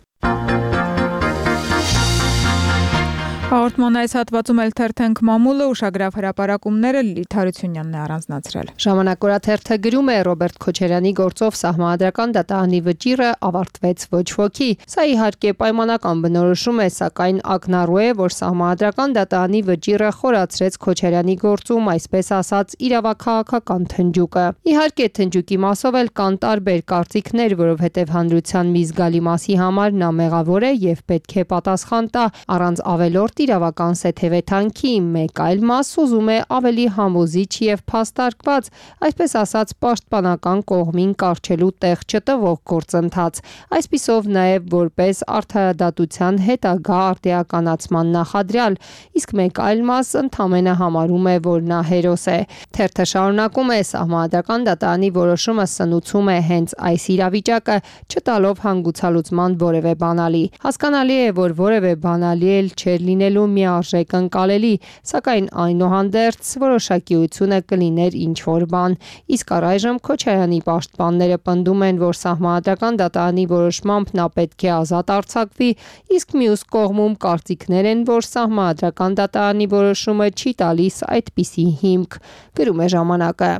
Հաղորդման այս հատվածում էլ թերթենք մամուլը, ուշագրավ հրապարակումները Լիլիթ Հարությունյանն է առանձնացրել։ Ժամանակ օրաթերթը գրում է Ռոբերտ Քոչարյանի գործով սահմանադրական դատարանի վճիռը ավարտվեց ոչ ոքի։ Սա իհարկե պայմանական բնորոշում է, սակայն ակնառու է, որ սահմանադրական դատարանի վճիռը խորացրեց Քոչարյանի գործում, այսպես ասած, իրավաքաղաքական թնջուկը։ Իհարկե թնջուկի մասով էլ կան տարբեր կարծիքներ, որովհետև հանրության մի զգալի մասի համար նա մեղավոր է եւ պետք է պատասխան տա առանց ավելորդ իրավական սեթևեթանքի, մեկ այլ մաս ուզում է ավելի համոզիչ եւ փաստարկված, այսպես ասած պաշտպանական կողմին կառչելու տեղ չտվող գործընթաց, այսպիսով նաեւ որպես արդարադատության հետագա արտիականացման նախադրյալ, իսկ մեկ այլ մաս ընդամենը համարում է, որ նա հերոս է։ Թերթը շարունակում է, սահմանադրական դատարանի որոշումը սնուցում է հենց այս իրավիճակը, չտալով հանգուցալուծման որևէ բանալի։ Հասկանալի է, որ որևէ բանալի էլ չէր լինի լինելու միարժեք ընկալելի, սակայն այնուհանդերձ որոշակիությունը կլիներ ինչ-որ բան։ Իսկ առայժմ Քոչարյանի պաշտպանները պնդում են, որ Սահմանադրական դատարանի որոշմամբ նա պետք է ազատ արձակվի, իսկ մյուս կողմում կարծիքներ են, որ Սահմանադրական դատարանի որոշումը չի տալիս այդպիսի հիմք, գրում է ժամանակը։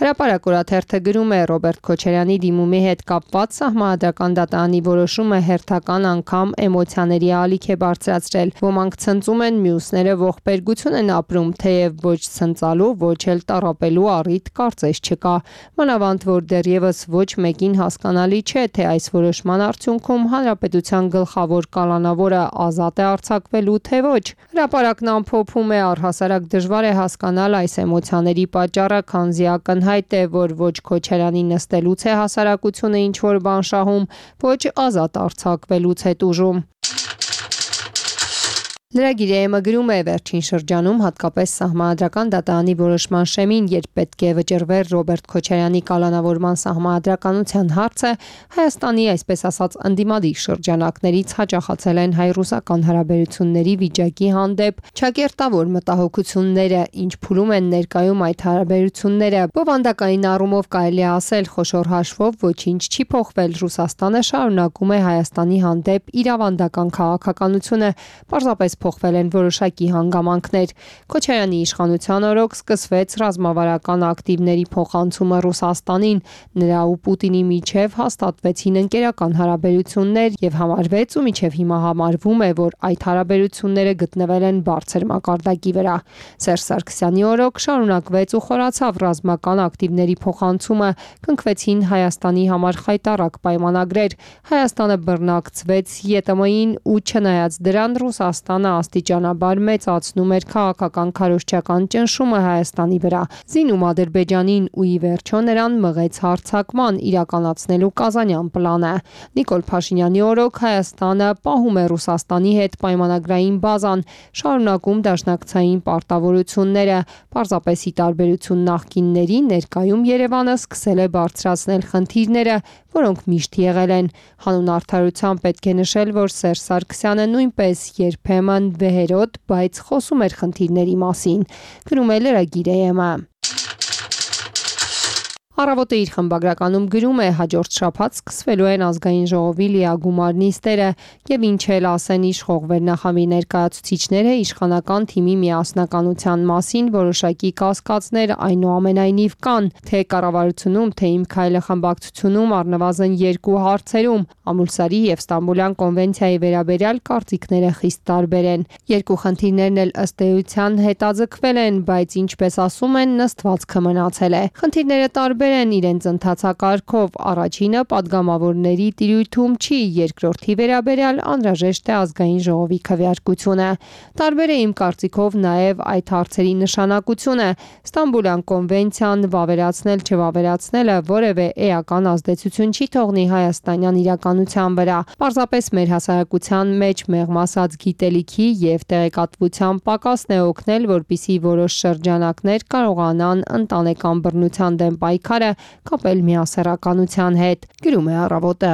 Հրապարակ օրաթերթը գրում է Ռոբերտ Քոչարյանի դիմումի հետ կապված Սահմանադրական դատարանի որոշումը հերթական անգամ էմոցիաների ալիք է բարձրացրել։ Ոմանք ցնծում են, մյուսները ողբերգություն են ապրում, թեև ոչ ցնծալու, ոչ էլ տառապելու առիթ կարծես չկա։ Մանավանդ որ դեռևս ոչ մեկին հասկանալի չէ, թե այս որոշման արդյունքում հանրապետության գլխավոր կալանավորը ազատ է արձակվելու, թե ոչ։ Հրապարակն ամփոփում է, առհասարակ դժվար է հասկանալ այս էմոցիաների պատճառը, քանզի ակնհայտ Հայտ է, որ ոչ Քոչարյանի նստելուց է հասարակությունը ինչ-որ բան շահում, ոչ ազատ արձակվելուց է տուժում։ Լրագիրը գրում է վերջին շրջանում հատկապես Սահմանադրական դատարանի որոշման շեմին, երբ պետք է վճռվեր Ռոբերտ Քոչարյանի կալանավորման սահմանադրականության հարցը, Հայաստանի այսպես ասած ընդդիմադիր շրջանակներից հաճախացել են հայ-ռուսական հարաբերությունների վիճակի հանդեպ ճակերտավոր մտահոգությունները, ինչ փուլում են ներկայում այդ հարաբերությունները։ Բովանդակային առումով կարելի է ասել, խոշոր հաշվով ոչինչ չի փոխվել, Ռուսաստանը շարունակում է Հայաստանի հանդեպ իր ավանդական քաղաքականությունը, պարզապես փոխվել են որոշակի հանգամանքներ։ Քոչարյանի իշխանության օրոք սկսվեց ռազմավարական ակտիվների փոխանցումը Ռուսաստանին, նրա ու Պուտինի միջև հաստատվեցին ընկերական հարաբերություններ եւ համարվեց ու մինչեւ հիմա համարվում է, որ այդ հարաբերությունները գտնվել են բարձր մակարդակի վրա։ Սերժ Սարգսյանի օրոք շարունակվեց ու խորացավ ռազմական ակտիվների փոխանցումը, կնքվեցին Հայաստանի համար խայտառակ պայմանագրեր, Հայաստանը բռնակցվեց ԵՏՄ-ին ու չնայած դրան Ռուսաստանը աստիճանաբար մեծացնում էր քաղաքական քարոզչական ճնշումը Հայաստանի վրա, զինում Ադրբեջանին ու ի վերջո նրան մղեց հարձակման իրականացնելու Կազանյան պլանը։ Նիկոլ Փաշինյանի օրոք Հայաստանը պահում է Ռուսաստանի հետ պայմանագրային բազան, շարունակում դաշնակցային պարտավորությունները, պարզապես ի տարբերություն նախկինների, ներկայում Երևանը սկսել է բարձրացնել խնդիրները, որոնք միշտ եղել են։ Հանուն արդարության պետք է նշել, որ Սերժ Սարգսյանը նույնպես երբեմն վեհերոտ, բայց խոսում էր խնդիրների մասին, գրում է լրագիրը։ Առավոտը իր խմբագրականում գրում է, հաջորդ շաբաթ սկսվելու են ազգային ժողովի լիագումար նիստերը եւ ինչ էլ ասեն իշխող վերնախավի ներկայացուցիչները իշխանական թիմի միասնականության մասին որոշակի կասկածներ այնուամենայնիվ կան, թե կառավարությունում, թե Իմ քայլը խմբակցությունում առնվազն երկու հարցերում Ամուլսարի եւ Ստամբուլյան կոնվենցիայի վերաբերյալ կարծիքները խիստ տարբեր են։ Երկու խնդիրներն էլ ըստ էության հետաձգվել են, բայց ինչպես ասում են, նստվածքը մնացել է։ Խնդիրները տարբեր են իրենց ընթացակարգով, առաջինը падգամավորների տիրույթում չի, երկրորդի վերաբերյալ անհրաժեշտ է ազգային ժողովի քվեարկությունը։ Տարբեր է իմ կարծիքով նաև այդ հարցերի նշանակությունը։ Ստամբուլյան կոնվենցիան վավերացնել չվավերացնելը որևէ էական ազդեցություն չի թողնի հայաստանյան իրականության վրա։ Պարզապես մեր հասարակության մեջ մեղմասած գիտելիքի եւ տեղեկատվության պակասն է օգնել, որպիսի որոշ շրջանակներ կարողանան ընտանեկան բռնության դեմ պայքարը կապել միասեռականության հետ, գրում է Առավոտը։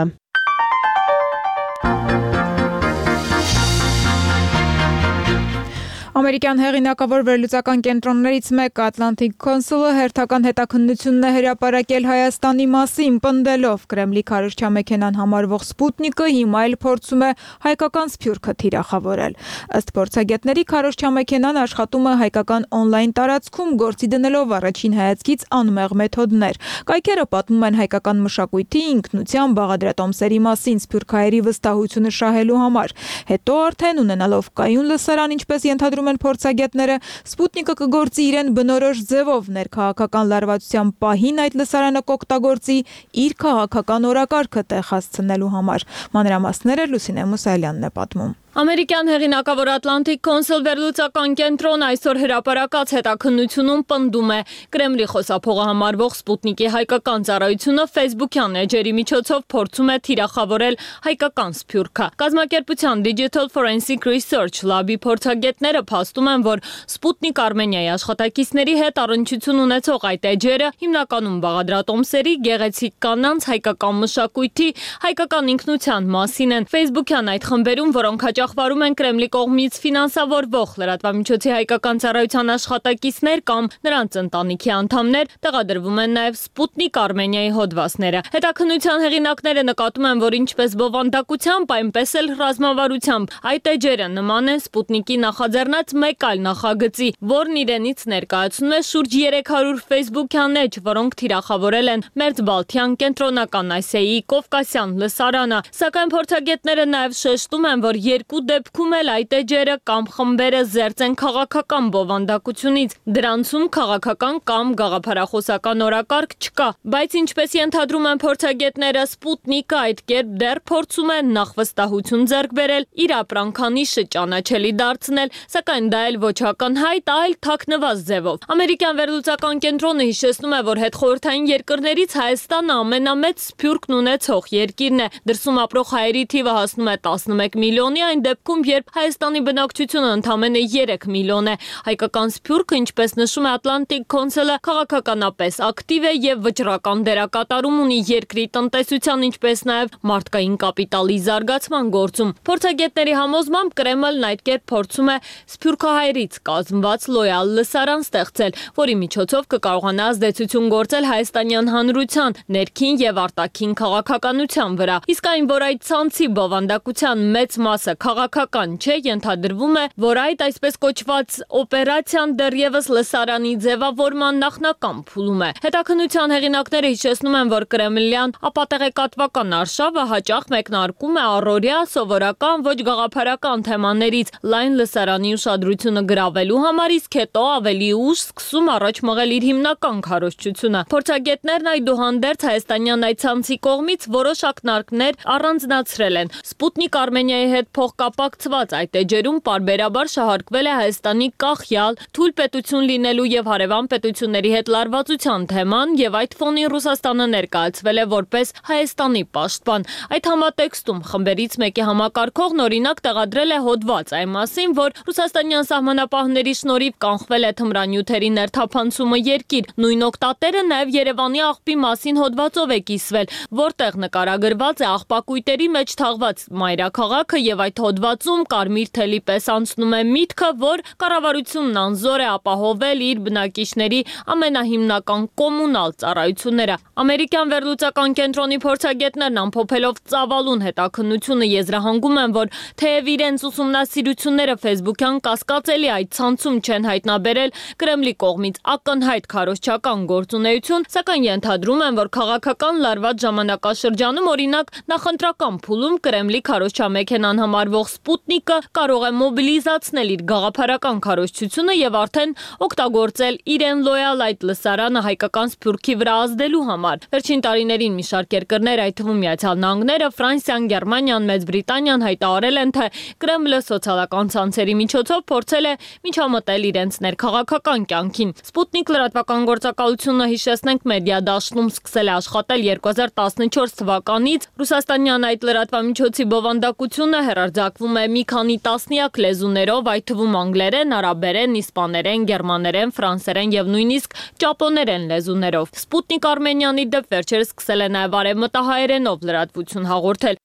Ամերիկյան հեղինակավոր վերլուծական կենտրոններից մեկը Atlantic Council-ը հերթական հետաքննությունն է հրապարակել Հայաստանի մասին, պնդելով Կրեմլի քարոզչամեքենան համարվող Սպուտնիկը հիմա էլ փորձում է հայկական սփյուռքը թիրախավորել։ Ըստ փորձագետների քարոզչամեքենան աշխատում է հայկական on-line տարածքում, գործի դնելով առաջին հայացքից անմեղ մեթոդներ։ Կայքերը պատմում են հայկական մշակույթի, ինքնության, բաղադրատոմսերի մասին սփյուռքահայերի վստահությունը շահելու համար։ Հետո արդեն ունենալով կայուն լսարան, ինչպես ենթադրում են փորձագետները, Սպուտնիկը կգործի իրեն բնորոշ ձևով ներքաղաքական լարվածության պահին այդ լսարանը կօգտագործի իր քաղաքական օրակարգը տեղ հասցնելու համար։ Մանրամասները Լուսինե Մուսալյանն է պատմում։ Ամերիկյան հեղինակավոր Atlantic Council վերլուծական կենտրոն այսօր հրապարակած հետաքննությունում պնդում է Կրեմլի խոսափողը համարվող Սպուտնիկի հայկական ծառայությունը Facebook-յան էջերի միջոցով փորձում է թիրախավորել հայկական սփյուռքը։ Կազմակերպության Digital Forensic Research Lab-ի փորձագետները փաստում են, որ Sputnik Armenia-ի աշխատակիցների հետ առնչություն ունեցող այդ էջերը հիմնականում բաղադրատոմսերի, գեղեցիկ կանանց, հայկական մշակույթի, հայկական ինքնության մասին են։ Facebook-յան այդ խմբերում, որոնք հաճախ հրախվարում են Կրեմլի կողմից ֆինանսավորվող լրատվամիջոցի հայկական ծառայության աշխատակիցներ կամ նրանց ընտանիքի անդամներ, տեղադրվում են նաև Սպուտնիկ Արմենիայի հոդվածները։ Հետաքննության հեղինակները նկատում են, որ ինչպես բովանդակությամբ, այնպես էլ ռազմավարությամբ այդ էջերը նման են Սպուտնիկի նախաձեռնած մեկ այլ նախագծի, որն իրենից ներկայացնում է շուրջ երեք հարյուր ֆեյսբուքյան էջ, որոնք թիրախավորել են Մերձբալթյան կենտրոնական Ասիայի Կովկասյան լսարանը, սակայն փորձագետները նաև շեշտում են, որ երկու դեպքում էլ այդ էջերը կամ խմբերը զերծ են քաղաքական բովանդակությունից, դրանցում քաղաքական կամ գաղափարախոսական օրակարգ չկա, բայց ինչպես ենթադրում են փորձագետները, Սպուտնիկը այդ կերպ դեռ փորձում է նախ վստահություն ձեռք բերել, իր ապրանքանիշը ճանաչելի դարձնել, սակայն դա էլ ոչ ակնհայտ, այլ թաքնված ձևով։ Ամերիկյան վերլուծական կենտրոնը հիշեցնում է, որ հետխորհրդային երկրներից Հայաստանը ամենամեծ սփյուռքն ունեցող երկիրն է։ Դրսում ապրող հայերի թիվը հասնում է տասնմեկ միլիոնի, այն դեպքում, երբ Հայաստանի բնակչությունը ընդամենը երեք միլիոն է։ Հայկական սփյուռքը, ինչպես նշում է Atlantic Council-ը, քաղաքականապես ակտիվ է եւ վճռական դերակատարում ունի երկրի տնտեսության, ինչպես նաեւ մարդկային կապիտալի զարգացման գործում։ Փորձագետների համոզմամբ Կրեմլն այդ կերպ փորձում է սփյուռքահայերից կազմված լոյալ լսարան ստեղծել, որի միջոցով կկարողանա ազդեցություն գործել հայաստանյան հանրության ներքին եւ արտաքին քաղաքականության վրա։ Իսկ այն, որ այդ ցանցի բովանդակության մեծ մասը քաղաքական չէ, ենթադրվում է, որ այդ այսպես կոչված օպերացիան դեռևս լսարանի ձևավորման նախնական փուլում է։ Հետաքննության հեղինակները հիշեցնում են, որ կրեմլյան ապատեղեկատվական արշավը հաճախ մեկնարկում է առօրյա սովորական ոչ գաղափարական թեմաներից լայն լսարանի ուշադրությունը գրավելու համար, իսկ հետո ավելի ուշ սկսում առաջ մղել իր հիմնական քարոզչությունը։ Փորձագետներն այդուհանդերձ հայաստանյան այդ ցանցի կողմից որոշ ակնարկներ առանձնացրել են։ Սպուտնիկ Արմենիայի հետ փոխկապակցված այդ էջերում պարբերաբար շահարկվել է Հայաստանի կախյալ, թույլ պետություն լինելու եւ հարևան պետությունների հետ լարվածության թեման եւ այդ ֆոնին Ռուսաստանը ներկայացվել է որպես Հայաստանի պաշտպան։ Այդ համատեքստում խմբերից մեկի համակարգողն օրինակ տեղադրել է հոդված այն մասին, որ ռուսաստանյան սահմանապահների շնորհիվ կանխվել է թմրանյութերի ներթափանցումը երկիր։ Նույն օկտատերը նաեւ Երևանի աղբի մասին հոդվածով է կիսվել, որտեղ նկարագրված է աղբակույտերի մեջ թաղված մայրաքաղաքը եւ այդ հոդվածում կարմիր թելի պես անցնում է միտքը, որ կառավարությունն անզոր է ապահովել իր բնակիչների ամենահիմնական կոմունալ ծառայությունները։ Ամերիկյան վերլուծական կենտրոնի փորձագետներն ամփոփելով ծավալուն հետաքննությունը եզրահանգում են, որ թեև իրենց ուսումնասիրությունները ֆեյսբուքյան կասկածելի այդ ցանցում չեն հայտնաբերել Կրեմլի կողմից ակնհայտ քարոզչական գործունեություն, սակայն ենթադրում են, որ քաղաքական լարված ժամանակաշրջանում օրինակ նախընտրական փուլում Կրեմլի քարոզչամեքենան համարվող Սպուտնիկը կարող է մոբիլիզացնել իր գաղափարական քարոզչությունը եւ արդեն օգտագործել իրեն լոյալ այդ լսարանը հայկական սփյուռքի վրա ազդելու համար։ Վերջին տարիներին մի շարք երկրներ, այդ թվում Միացյալ Նահանգները, Ֆրանսիան, Գերմանիան, Մեծ Բրիտանիան հայտարարել են, թե Կրեմլը սոցիալական ցանցերի միջոցով փորձել է միջամտել իրենց ներքաղաքական կյանքին։ Սպուտնիկ լրատվական գործակալությունը, հիշեցնենք, մեդիա դաշտում սկսել է աշխատել երկու հազար տասնչորս թվականից։ Ռուսաստանյան այդ լրատվամիջոցի բովանդակությունը հեռարձակվում է մի քանի տասնյակ լեզուներով, այդ թվում անգլերեն, արաբերեն, իսպաներեն, գերմաներեն, ֆրանսերեն եւ նույնիսկ ճապոներեն լեզուներով։ Սպուտնիկ Արմենիանի դեպ վերջերս սկսել է նաեւ արևմտահայերենով լրատվություն հաղորդել։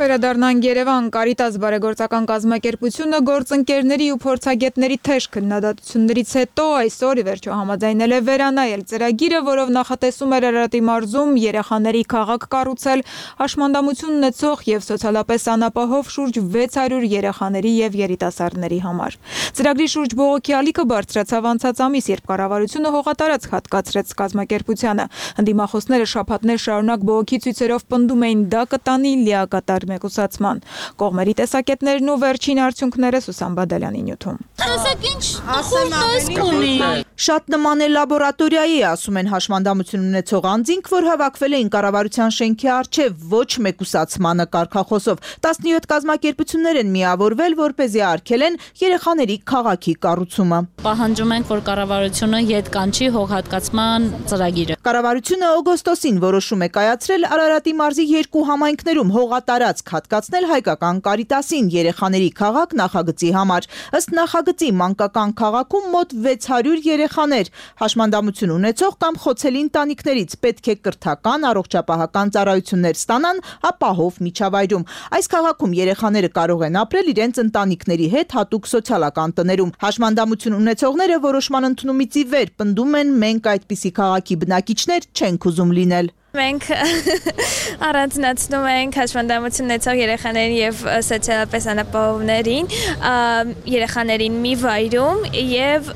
Վերադառնանք Երևան, Կարիտաս բարեգործական կազմակերպությունը գործընկերների ու փորձագետների թեժ քննադատություններից հետո այսօր ի վերջո համաձայնել է վերանայել ծրագիրը, որով նախատեսում էր Արարատի մարզում երեխաների քաղաք կառուցել հաշմանդամություն ունեցող եւ սոցիալապես անապահով շուրջ վեց հարյուր երեխաների եւ երիտասարդների համար։ Ծրագրի շուրջ բողոքի ալիքը բարձրացավ անցած ամիս, երբ կառավարությունը հողատարածք հատկացրեց կազմակերպությանը։ Ընդդիմախոսները շաբաթներ շարունակ բողոքի ցույցերով պնդում էին, դա կտանի լիակատար մեկուսացման։ Կողմերի տեսակետներն ու վերջին արդյունքները Սուսան Բադալյանի նյութում։ Տեսեք ինչ խորտեսք ունի։ Շատ նման է լաբորատորիայի, ասում են հաշմանդամություն ունեցող անձինք, որ հավաքվել էին կառավարության շենքի առջև ոչ մեկուսացմանը կարգախոսով։ տասնյոթ կազմակերպություններ են միավորվել, որպեսզի արգելեն երեխաների քաղաքի կառուցումը։ Պահանջում ենք, որ կառավարությունը ետ կանչի հողհատկացման ծրագիրը։ Կառավարությունը օգոստոսին որոշում է կայացրել Արարատի մարզի երկու համայնքներում հողատարածք տարածք հատկացնել հայկական Կարիտասին երեխաների քաղաք նախագծի համար։ Ըստ նախագծի մանկական քաղաքում մոտ վեց հարյուր երեխաներ հաշմանդամություն ունեցող կամ խոցելի ընտանիքներից պետք է կրթական, առողջապահական ծառայություններ ստանան ապահով միջավայրում։ Այս քաղաքում երեխաները կարող են ապրել իրենց ընտանիքների հետ հատուկ սոցիալական տներում։ Հաշմանդամություն ունեցողները որոշման ընդունումից ի վեր պնդում են, մենք այդպիսի քաղաքի բնակիչներ չենք ուզում լինել։ Մենք առանձնացնում ենք հաշմանդամություն ունեցող երեխաներին եւ սոցիալապես անապահովներին երեխաներին մի վայրում եւ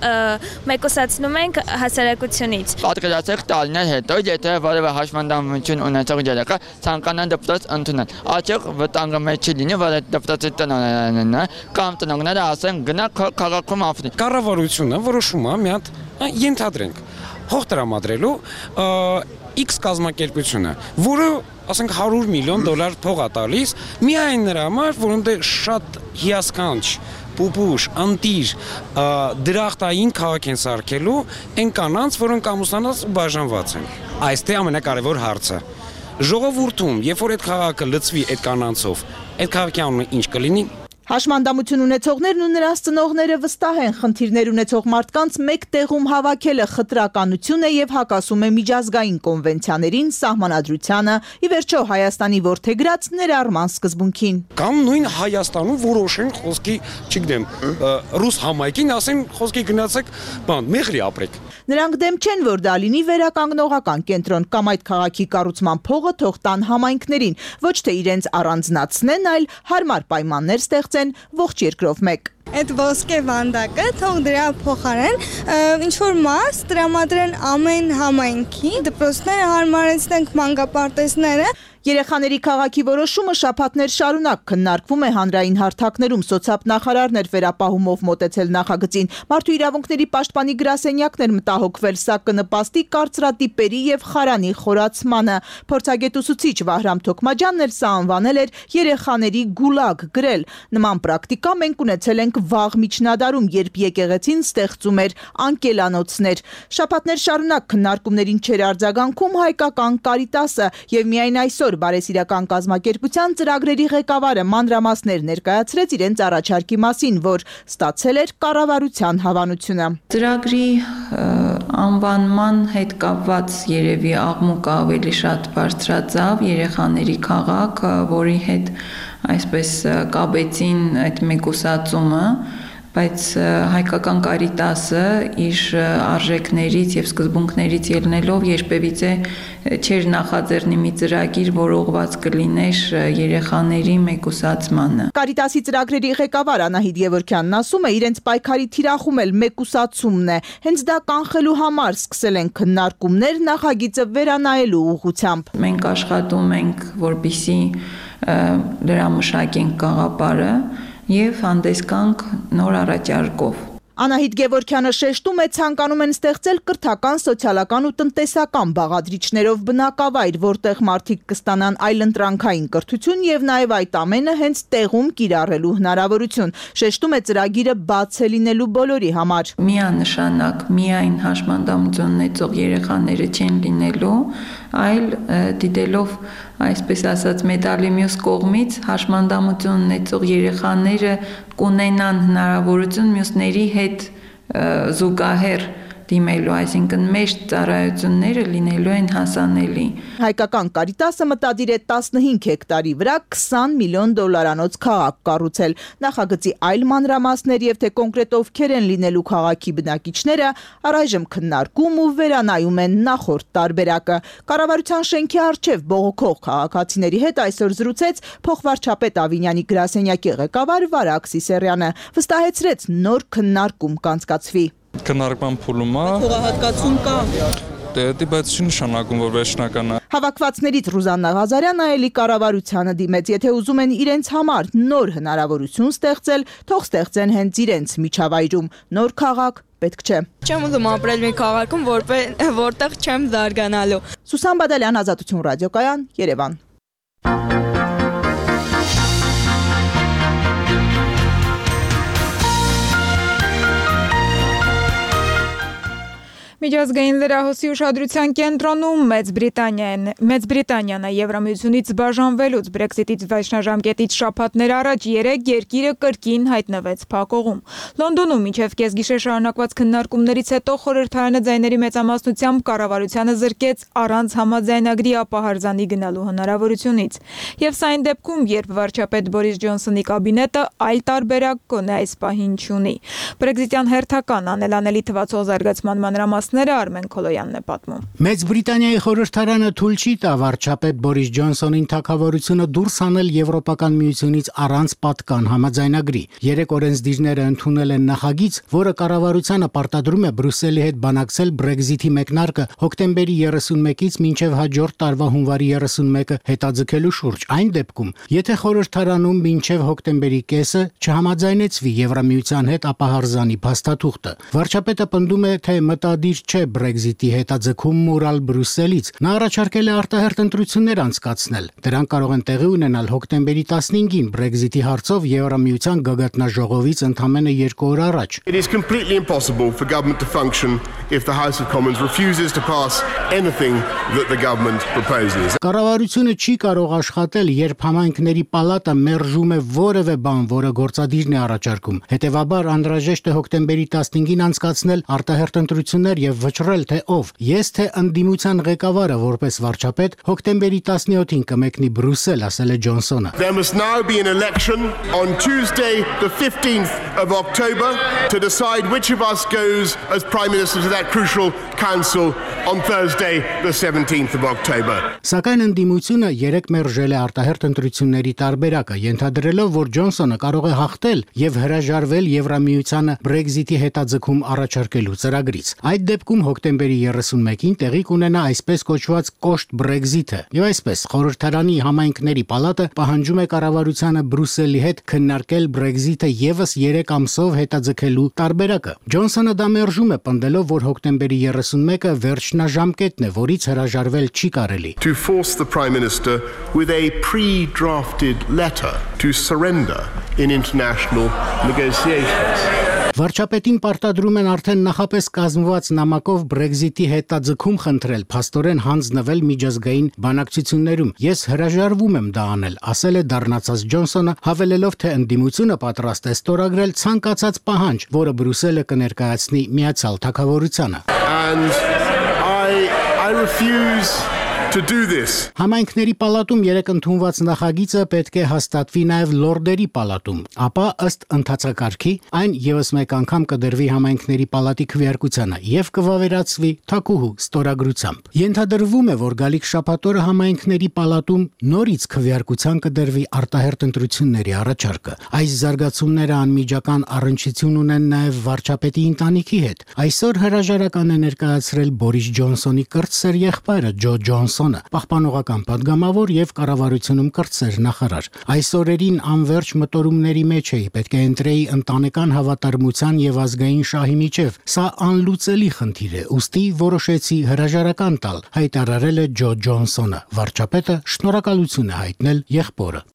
մեկուսացնում ենք հասարակությունից։ Պատկերացրեք տարիներ հետո, եթե որևէ հաշմանդամություն ունեցող երեխա ցանկանա դպրոց ընդունել, աճող վտանգը մեջ չի լինի, որ այդ դպրոցի տնօրենն է կամ տնօրենները ասեն գնա քաղաքում ապրի։ Կառավարությունը որոշում է մի հատ ենթադրենք հող տրամադրելու X կազմակերպությունը, որը, ասենք, հարյուր միլիոն դոլար փող է տալիս, միայն նրա համար, որոնք շատ հիասքանչ, պուպուշ, անտիր, դրախտային քաղաք են սարքելու այն կանանց, որոնք ամուսնանած ու բաժանված են։ Այստեղ ամենակարևոր հարցը։ Ժողովուրդում, երբ որ այդ քաղաքը լցվի այդ կանանցով, այդ քաղաքի անունը ինչ կլինի։ Հաշմանդամություն ունեցողներն ու նրանց ծնողները վստահ են, խնդիրներ ունեցող մարդկանց մեկ տեղում հավաքելը խտրականություն է եւ հակասում է միջազգային կոնվենցիաներին, սահմանադրությանը, ի վերջո Հայաստանի որդեգրած ներառման սկզբունքին։ Կամ նույն Հայաստանում որոշեն խոսքի, չգիտեմ, ռուս համայնքին ասեն խոսքի գնացեք, բան, մեղրի ապրեք։ Նրանք դեմ չեն, որ դա լինի վերականգնողական կենտրոն կամ այդ քաղաքի կառուցման փողը թող տան համայնքներին, ոչ թե իրենց առանձնացնեն, այլ հարմար պայմաններ ստեղծեն ողջ երկրով մեկ։ Այդ ոսկե վանդակը թող դրա փոխարեն ինչ որ մաս տրամադրեն ամեն համայնքի, դպրոցները հարմարեցնենք մանկապարտեզները։ Երեխաների քաղաքի որոշումը շաբաթներ շարունակ քննարկվում է հանրային հարթակներում, սոցիալնախարարներ վերապահումով մոտեցել նախագծին, մարդու իրավունքների պաշտպանի գրասենյակներ մտահոգվել, սա կնպաստի կարծրատիպերի եւ խարանի խորացմանը։ Փորձագետ ուսուցիչ Վահրամ Թոքմաջյանն էլ սա անվանել էր երեխաների գուլագ գրել։ Նման պրակտիկա մենք ունեցել ենք վաղ միջնադարում, երբ եկեղեցին ստեղծում էր անկելանոցներ։ Շաբաթներ շարունակ քննարկումներին չեր արձագանքում հայկական Կարիտասը եւ միայն այսօր Բարեսիրական կազմակերպության ծրագրերի ղեկավարը մանրամասներ ներկայացրեց իրենց առաջարկի մասին, որ ստացել էր կառավարության հավանությունը։ Ծրագրի անվանման հետ կապված երևի աղմուկը ավելի շատ բարձրացավ, երեխաների քաղաք, որի հետ այսպես կապեցին այդ մեկուսացումը, բայց հայկական Կարիտասը իր արժեքներից եւ սկզբունքներից ելնելով երբևիցե չէր նախաձեռնի մի ծրագիր, որ ուղղված կլիներ երեխաների մեկուսացմանը։ Կարիտասի ծրագրերի ղեկավար Անահիտ Գևորգյանն ասում է, իրենց պայքարի թիրախում էլ մեկուսացումն է։ Հենց դա կանխելու համար սկսել են քննարկումներ նախագիծը վերանայելու ուղղությամբ։ Մենք աշխատում ենք, որպեսզի լրամշակենք գաղափարը եւ հանդես գանք նոր առաջարկով։ Անահիտ Գևորգյանը շեշտում է, ցանկանում են ստեղծել կրթական, սոցիալական ու տնտեսական բաղադրիչներով բնակավայր, որտեղ մարդիկ կստանան այլընտրանքային կրթություն եւ նաեւ այդ ամենը հենց տեղում կիրառելու հնարավորություն։ Շեշտում է, ծրագիրը բաց է լինելու բոլորի համար։ Միանշանակ միայն հաշմանդամություն ունեցող երեխաները չեն լինելու, այլ դիտելով այսպես ասած մեդալի մյուս կողմից հաշմանդամություն ունեցող երեխաները կունենան հնարավորություն մյուսների հետ զուգահեռ դիմելու, այսինքն մեծ ծառայությունները լինելու են հասանելի։ Հայկական Կարիտասը մտադիր է տասնհինգ հեկտարի վրա քսան միլիոն դոլարանոց քաղաք կառուցել։ Նախագծի այլ մանրամասներ եւ թե կոնկրետ ովքեր են լինելու քաղաքի բնակիչները առայժմ քննարկում ու վերանայում են նախորդ տարբերակը։ Կառավարության շենքի առջև բողոքող քաղաքացիների հետ այսօր զրուցեց փոխվարչապետ Ավինյանի գրասենյակի ղեկավար Վարակ Սիսերյանը, վստահեցրեց նոր քննարկում կանցկացվի։ Քննարկման փուլում է։ Փոխհատկացում կա։ Դե բայց չի նշանակում, որ վերջնական է։ Հավաքվածներից Ռուզաննա Ղազարյանը էլի կառավարությանը դիմեց, եթե ուզում են իրենց համար նոր հնարավորություն ստեղծել, թող ստեղծեն հենց իրենց միջավայրում։ Նոր քաղաք պետք չէ։ Չեմ ուզում ապրել մի քաղաքում, որտեղ չեմ զարգանալու։ Սուսան Բադալյան, Ազատություն ռադիոկայան, Երևան։ Միջազգային լրահոսի ուշադրության կենտրոնում Մեծ Բրիտանիան Մեծ Բրիտանիան է Եվրամիությունից բաժանվելուց Brexit-ից վայրաշնորհամկետից շաբաթներ առաջ երեք երկիրը կրկին հայտնվեց փակողում։ Լոնդոնում մինչև կեսգիշեր շարունակված քննարկումներից հետո խորհրդարանը ձայների մեծամասնությամբ կառավարությանը զրկեց առանց համաձայնագրի ապահարզանի գնալու հնարավորությունից։ Եվ սա այն դեպքում, երբ վարչապետ Բորիս Ջոնսոնի կաբինետը այլ տարբերակ կոնե այս պահին չունի։ Brexit-յան հերթական անելանելի թվացող զարգացման մանրամասները Արմեն Քոլոյանն է պատմում։ Մեծ Բրիտանիայի խորհրդարանը թույլ չի տա վարչապետ Բորիս Ջոնսոնին թագավորությունը դուրս հանել Եվրոպական միությունից առանց պատկան համաձայնագրի։ Երեք օրենսդիրները ընդունել են նախագիծ, որը կառավարությանը պարտադրում է Բրյուսելի հետ բանակցել Brexit-ի մեկնարկը հոկտեմբերի երեսունմեկից մինչև հաջորդ տարվա հունվարի երեսունմեկը հետաձգելու շուրջ։ Այն դեպքում, եթե խորհրդարանում մինչև հոկտեմբերի կեսը չհամաձայնեցվի Եվրամիության հետ ապահարզանի փաստաթուղթը։ Վարչապետը պնդում է, թե մտադիր չէ Brexit-ի հետաձգում մուրալ Բրյուսելից։ Նա առաջարկել է արտահերթ ընտրություններ անցկացնել։ Դրանք կարող են տեղի ունենալ հոկտեմբերի տասնհինգին Brexit-ի հարցով Եվրամիության գագաթնաժողովից ընդամենը երկու օր առաջ։ It is completely impossible for government to function if the House of Commons refuses to pass anything that the government proposes. Կառավարությունը չի կարող աշխատել, երբ համայնքների պալատը մերժում է որևէ բան, որը գործադիրն է առաջարկում։ Հետևաբար անհրաժեշտ է հոկտեմբերի տասնհինգին անցկացնել արտահերթ ընտրություններ եւ վճռել, թե ով։ Ես թե ընդդիմության ղեկավարը որպես վարչապետ հոկտեմբերի տասնյոթին կմեկնի Բրյուսել, ասել է Ջոնսոնը։ There must now be an election on Tuesday the fifteenth of October to decide which of us goes as Prime Minister to that crucial council on Thursday the seventeenth of October. Սակայն ընդդիմությունը երեք մերժել է արտահերթ ընտրությունների տարբերակը, ենթադրելով, որ Ջոնսոնը կարող է հաղթել եւ հրաժարվել Եվրամիությանը Brexit-ի հետաձգում առաջարկելու ծրագրից։ Այդ դեպքում հոկտեմբերի երեսունմեկին տեղի կունենա այսպես կոչված կոշտ Brexit-ը։ Եվ այսպես խորհրդարանի համայնքների պալատը պահանջում է կառավարությանը Բրյուսելի հետ քննարկել Brexit-ը եւս երեք ամսով հետաձգելու տարբերակը։ Ջոնսոնը դա մերժում է, պնդելով, որ հոկտեմբերի երեսունմեկը վերջնաժամկետն է, որից հրաժարվել չի կարելի։ To force the Prime Minister with a pre-drafted letter to surrender in international negotiations. Վարչապետին պարտադրում են արդեն նախապես կազմված նամակով Brexit-ի հետաձգում խնդրել, փաստորեն հանձնվել միջազգային բանակցություններում։ Ես հրաժարվում եմ դա անել, ասել է դառնացած Ջոնսոնը, հավելելով, թե ընդդիմությունը պատրաստ է ստորագրել ցանկացած պահանջ, որը Բրյուսելը կներկայացնի Միացյալ Թագավորությանը։ And I I refuse to do this. Համայնքների պալատում երեք ընդունված նախագիծը պետք է հաստատվի նաև լորդերի պալատում, ապա ըստ ընթացակարգի այն եւս մեկ անգամ կդրվի համայնքների պալատի քվեարկությանը եւ կվավերացվի թակուհու ստորագրությամբ։ Ենթադրվում է, որ գալիք շաբաթօրը համայնքների պալատում նորից քվեարկության կդրվի արտահերթ ընտրությունների առաջարկը։ Այս զարգացումները անմիջական առնչություն ունեն նաև վարչապետի ընտանիքի հետ։ Այսօր հրաժարական է ներկայացրել Բորիս Ջոնսոնի կրտսեր եղբայրը Ջո Ջոնսոնը, պահպանողական падգամավոր եւ կառավարությունում կրտսեր նախարար։ Այս օրերին անverջ մտորումների մեջ էի, պետք է ընտրեի ընտանեկան հավատարմության եւ ազգային շահի միջև։ Սա անլուծելի խնդիր է, ուստի որոշեցի հրաժարական տալ, հայտարարել է Ջո Ջոնսոնը։ Վարչապետը շնորհակալություն է հայտնել եղբորը։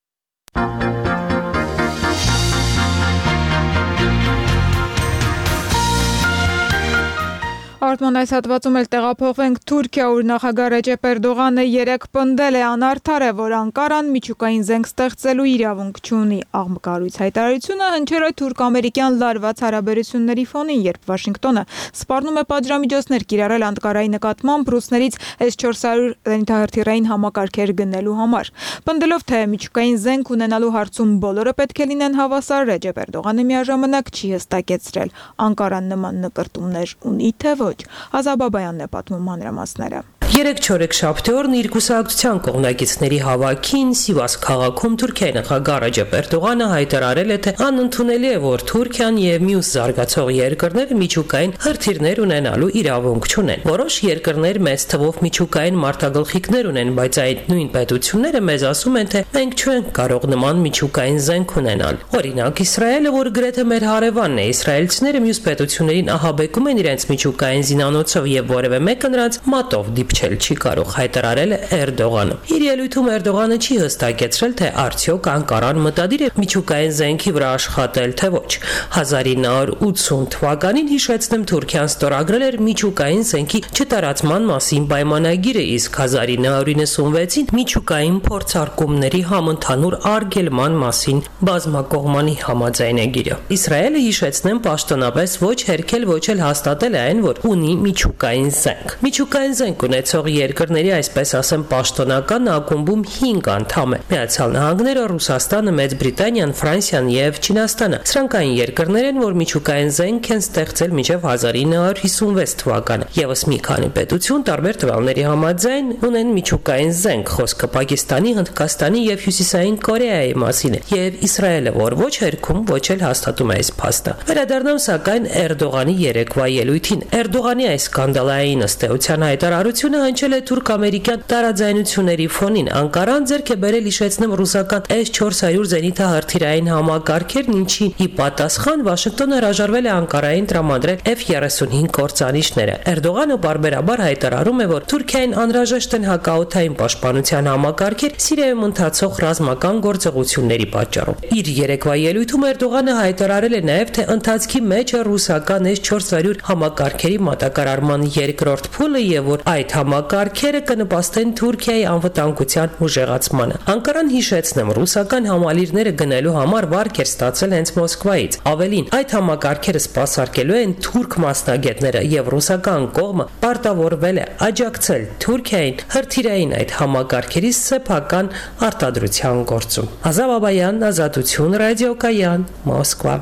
Արտման այս հատվածում էլ տեղափոխվենք Թուրքիա, ուր նախագահ Ռեջեփ Էրդողանը երեկ պնդել է անարդար է, որ Անկարան միջուկային զենք ստեղծելու իրավունք չունի։ Աղմկարույց հայտարարությունը հնչել է թուրք-ամերիկյան լարված հարաբերությունների ֆոնին, երբ Վաշինգտոնը սպառնում է պատժամիջոցներ կիրառել Անկարայի նկատմամբ ռուսներից էս չորս հարյուր զենիթահրթիռային համակարգեր գնելու համար։ Պնդելով, թե միջուկային զենք ունենալու հարցում բոլորը պետք է լինեն հավասար, Ռեջեփ Էրդողանը միաժամանակ չի հստակեցրել Անկարան նման նկրտումներ ունի թե ոչ։ Ազաբաբայանն է պատմում մանրամասները։ Երեք չորեքշաբթի օրն իր կուսակցության կողմնակիցների հավաքին Սիվաս քաղաքում Թուրքիայի նախագահ Ռեջեփ Էրդողանը հայտարարել է, թե անընդունելի է, որ Թուրքիան եւ մյուս զարգացող երկրները միջուկային հրթիռներ ունենալու իրավունք չունեն։ Որոշ երկրներ մեծ թվով միջուկային մարտագլխիկներ ունեն, բայց այդ նույն պետությունները մեզ ասում են, թե մենք չենք կարող նման միջուկային զենք ունենալ։ Օրինակ, Իսրայելը, որ գրեթե մեր հարևանն է, իսրայելցիները մյուս պետություններին ահաբեկում են իրենց միջուկային զինանոցով եւ որևէ մեկը նրանց մատով դիպ կանչել չի կարող, հայտարարել է Էրդողանը։ Իր ելույթում Էրդողանը չի հստակեցրել, թե արդյոք Անկարան մտադիր է միջուկային զենքի վրա աշխատել, թե ոչ։ հազար ինը հարյուր ութսուն թվականին, հիշեցնեմ, Թուրքիան ստորագրել էր միջուկային զենքի չտարածման մասին պայմանագիրը, իսկ հազար ինը հարյուր իննսունվեցին միջուկային փորձարկումների համընդհանուր արգելման մասին բազմակողմանի համաձայնագիրը։ Իսրայելը, հիշեցնեմ, պաշտոնապես ոչ հերքել, ոչ էլ հաստատել է այն, որ ունի միջուկային զենք։ Միջուկային զենք ունեցող երկրների, այսպես ասեմ, պաշտոնական ակումբում հինգ անդամ է՝ Միացյալ Նահանգները, Ռուսաստանը, Մեծ Բրիտանիան, Ֆրանսիան եւ Չինաստանը։ Սրանք այն երկրներ են, որ միջուկային զենք են ստեղծել մինչև հազար ինը հարյուր հիսունվեց թվականը։ Եվս մի քանի պետություն տարբեր տվյալների համաձայն ունեն միջուկային զենք, խոսքը Պակիստանի, Հնդկաստանի եւ Հյուսիսային Կորեայի մասին է, եւ Իսրայելը, որ ոչ հերքում, ոչ էլ հաստատում է այս փաստը։ Վերադառնամ սակայն Էրդողանի երեկվա ելույթին։ Էրդողանի այս սկանդալային ըստեյության հայտարարությունը հնչել է թուրք-ամերիկյան տարաձայնությունների ֆոնին։ Անկարան ձեռք է բերել, հիշեցնեմ, ռուսական էս չորս հարյուր զենիթահրթիռային համակարգերն, ինչի ի պատասխան Վաշինգտոնը հրաժարվել է Անկարային տրամադրել էֆ երեսունհինգ կործանիչները։ Էրդողանը բարբերաբար հայտարարում է, որ Թուրքիային անհրաժեշտ են հակաօդային պաշտպանության համակարգեր Սիրիայում ընթացող ռազմական գործողությունների պատճառով։ Իր երեկվա ելույթում Էրդողանը հայտարարել է նաև, թե ընթացքի մեջ է ռուսական էս չորս հարյուր համակարգերի մատակարարման երկրորդ փուլը եւ որ այդ համակարգերը կնպաստեն Թուրքիայի անվտանգության ուժեղացմանը։ Անկարան, հիշեցնեմ, ռուսական համալիրները գնելու համար վարկ էր ստացել հենց Մոսկվայից։ Ավելին, այդ համակարգերը սպասարկելու են թուրք մասնագետները եւ ռուսական կողմը պարտավորվել է աջակցել Թուրքիային հրթիռային այդ համակարգերի սեփական արտադրության գործում։ Ազավ Աբայան, Ազատություն, Ռադիոկայան, Մոսկվա։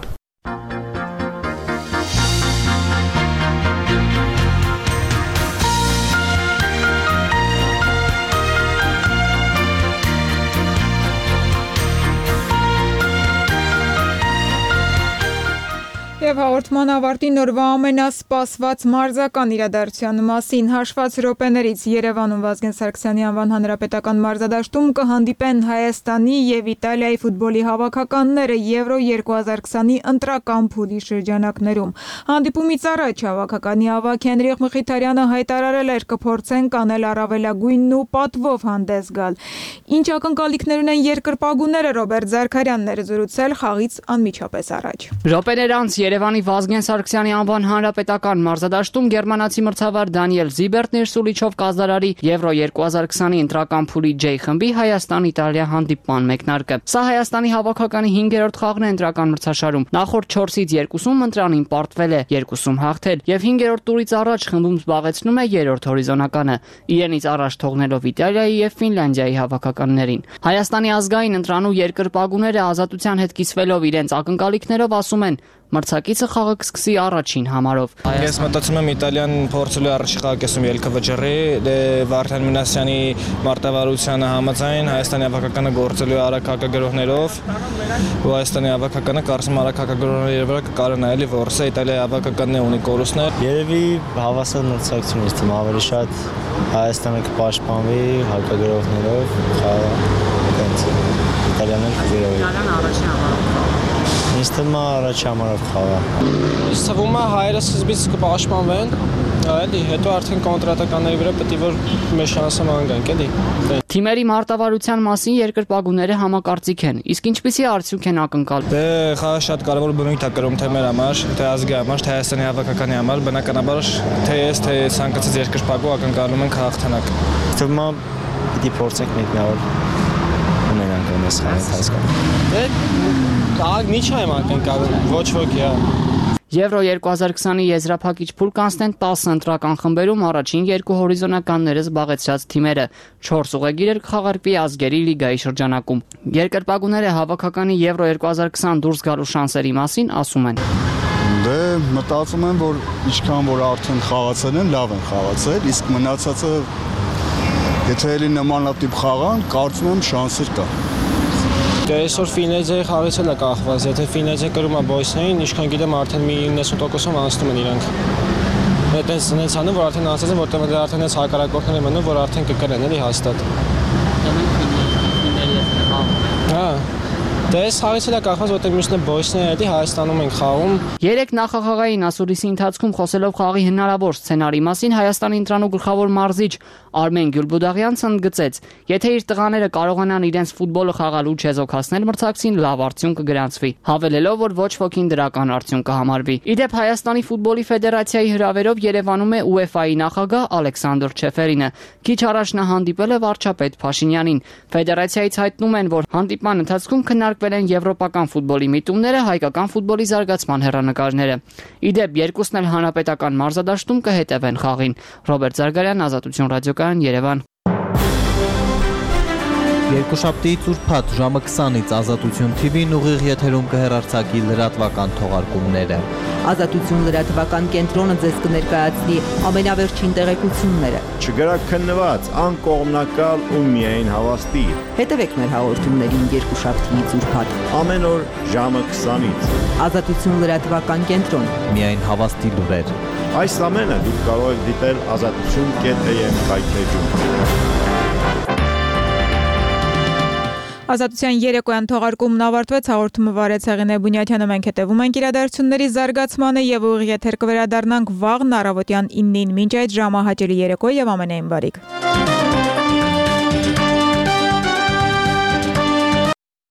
Եվ հաղորդման ավարտի նորվա ամենասպասված մարզական իրադարձության մասին հաշված րոպեներից Երևանում Վազգեն Սարգսյանի անվան հանրապետական մարզադաշտում կհանդիպեն Հայաստանի եւ Իտալիայի ֆուտբոլի հավաքականները Եվրո երկու հազար քսանի ընտրական փուլի շրջանակներում։ Հանդիպումից առաջ հավաքականի ավագ Հենրիխ Մխիթարյանը հայտարարել էր կփորձեն կանել առավելագույնն ու պատվով հանդես գալ։ Ինչ ակնկալիքներ ունեն երկրպագուները, Ռոբերտ Զարքարյանն էր զրուցել խաղից անմիջապես առաջ։ Րոպեներ անց Երևանի Վազգեն Սարգսյանի անվան հանրապետական մարզադաշտում գերմանացի մրցավար Դանիել Զիբերտն իր սուլիչով կազդարարի Եվրո երկու հազար քսանի ընտրական փուլի J խմբի Հայաստան-Իտալիա հանդիպման մեկնարկը։ Սա Հայաստանի հավաքականի հինգերորդ խաղն է ընտրական մրցաշարում։ Նախորդ չորսից երկուսում ընտրանին պարտվել է, երկուսում հաղթել եւ հինգերորդ տուրից առաջ խմբում զբաղեցնում է երրորդ հորիզոնականը, իրենից առաջ թողնելով Իտալիայի եւ Ֆինլանդիայի հավաքականներին։ Հայաստանի ազգային ընտրանու երկրպագուները ազատության հետ կիսվելով իրենց ակնկալիքներով ասում են մրցակիցը խաղը կսկսի առաջին համարով։ Ես մտածում եմ Իտալիան փորձելու առաջի խաղակեսում ելքը վճռի, դե Վարդան Մինասյանի մարտավարությանը համաձայն Հայաստանի հավաքականը գործելու արագ հակագրողներով, ու Հայաստանի հավաքականը կարծում արագ հակագրողների վրա կկարողանա նայելի որսը Իտալիայի հավաքականն ունի կորուստներ։ Երևի հավասար մրցակցություն է, ավելի շատ Հայաստանը կպաշտպանվի հակագրողներով, խաղը կընթացի։ Իտալիան էլ կգերովի։ Իտալիան առաջին համարով։ Ինձ թվում է առաջ համարով խաղա։ Ինձ թվում է հայերը սկզբից կպաշտպանվեն, էլի, հետո արդեն կոնտրատականների վրա պետք է որ մեր շանսը ման գանք, էլի։ Թիմերի մարտավարության մասին երկրպագուները համակարծիք են, իսկ ինչպիսի արդյունք են ակնկալում։ Դե խաղը շատ կարևոր բնույթ է կրում թե մեր համար, թե ազգի համար, թե Հայաստանի հավաքականի համար, բնականաբար թե ես, թե ցանկացած երկրպագու ակնկալում ենք հաղթանակ։ Թվում է պիտի փորձենք մեկնավոր ունենանք այս խաղի ընթացքում։ Դե Ահա մի չայ ակնկալում, ոչ ոքի, հա։ Եվրո երկու հազար քսանի եզրափակիչ փուլ կանցնեն տասը ընտրական խմբերում առաջին երկու հորիզոնականները զբաղեցրած թիմերը, չորս ուղեգիրեր կխաղարկվի ազգերի լիգայի շրջանակում։ Երկրպագուները հավաքականի Եվրո երկու հազար քսան դուրս գալու շանսերի մասին ասում են։ Դե մտածում եմ, որ ինչքան որ արդեն խաղացել են, լավ են խաղացել, իսկ մնացածը եթե էլի նմանատիպ խաղան, կարծում եմ շանսեր կա։ Դե այսօր Ֆինլանդիայի խաղից էլ է կախված, եթե Ֆինլանդիա կրում է բոյսներին, ինչքան գիտեմ արդեն մի իննսուն տոկոսով անցնում են իրանք։ Այդպես նենց անում, որ արդեն անցած են, որտեղ դե արդեն այս հակառակորդներ են մնում, որ արդեն կկրեն էլի հաստատ։ Հա։ Դե այս խաղից էլ է կախված, որտեղ մյուսն է բոյսները դի Հայաստանում են խաղում։ Երեք նախախաղային ասուլիսի ընթացքում խոսելով խաղի հնարավոր սցենարի մասին Հայաստանի ընտրանու գլխավոր մարզիչ Արմեն Գյուլբուդաղյանցն ընդգծեց. եթե իր տղաները կարողանան իրենց ֆուտբոլը խաղալու չեզոքացնել մրցակցին, լավ արդյունք կգրանցվի, հավելելով, որ ոչ ոքին դրական արդյունք կհամարվի։ Իդեպ Հայաստանի ֆուտբոլի ֆեդերացիայի հրավերով Երևանում է ՈՒԵՖԱ-ի նախագահ Ալեքսանդր Չեֆերինը։ Քիչ առաջ նա հանդիպել է վարչապետ Փաշինյանին։ Ֆեդերացիայից հայտնում են, որ հանդիպման ընթացքում քննարկվել են եվրոպական ֆուտբոլի միտումները, հայկական ֆուտբոլի զարգացման հեռանկարները։ Իդեպ երկուսն էլ հանրապետական մարզադաշտում կհետևեն խաղին։ Ռոբերտ Զարգարյան, Ազատություն ռադիոկայան, Երևան։ Երկուշաբթիից ուրբաթ ժամը քսանից Ազատություն Թի Վին ուղիղ եթերում կհեռարձակի լրատվական թողարկումները։ Ազատություն լրատվական կենտրոնը ձեզ կներկայացնի ամենավերջին տեղեկությունները։ Չգրակ քննված, անկողմնակալ ու միայն հավաստի։ Հետևեք մեր հաղորդումներին երկուշաբթիից ուրբաթ ամեն օր ժամը քսանից։ Ազատություն լրատվական կենտրոն։ Միայն հավաստի լուրեր։ Այս ամենը դուք կարող եք դիտել ազատություն կետ էյ էմ հայթեջում։ Ազատության երեկոյան թողարկումն ավարտվեց, հաղորդումը վարեց Հեղինե Բունյաթյանը, մենք հետևում ենք իրադարձությունների զարգացմանը եւ ուղիղ եթեր կվերադառնանք վաղն առավոտյան իննին, մինչ այդ ժամը հաճելի երեկո եւ ամենայն բարիք։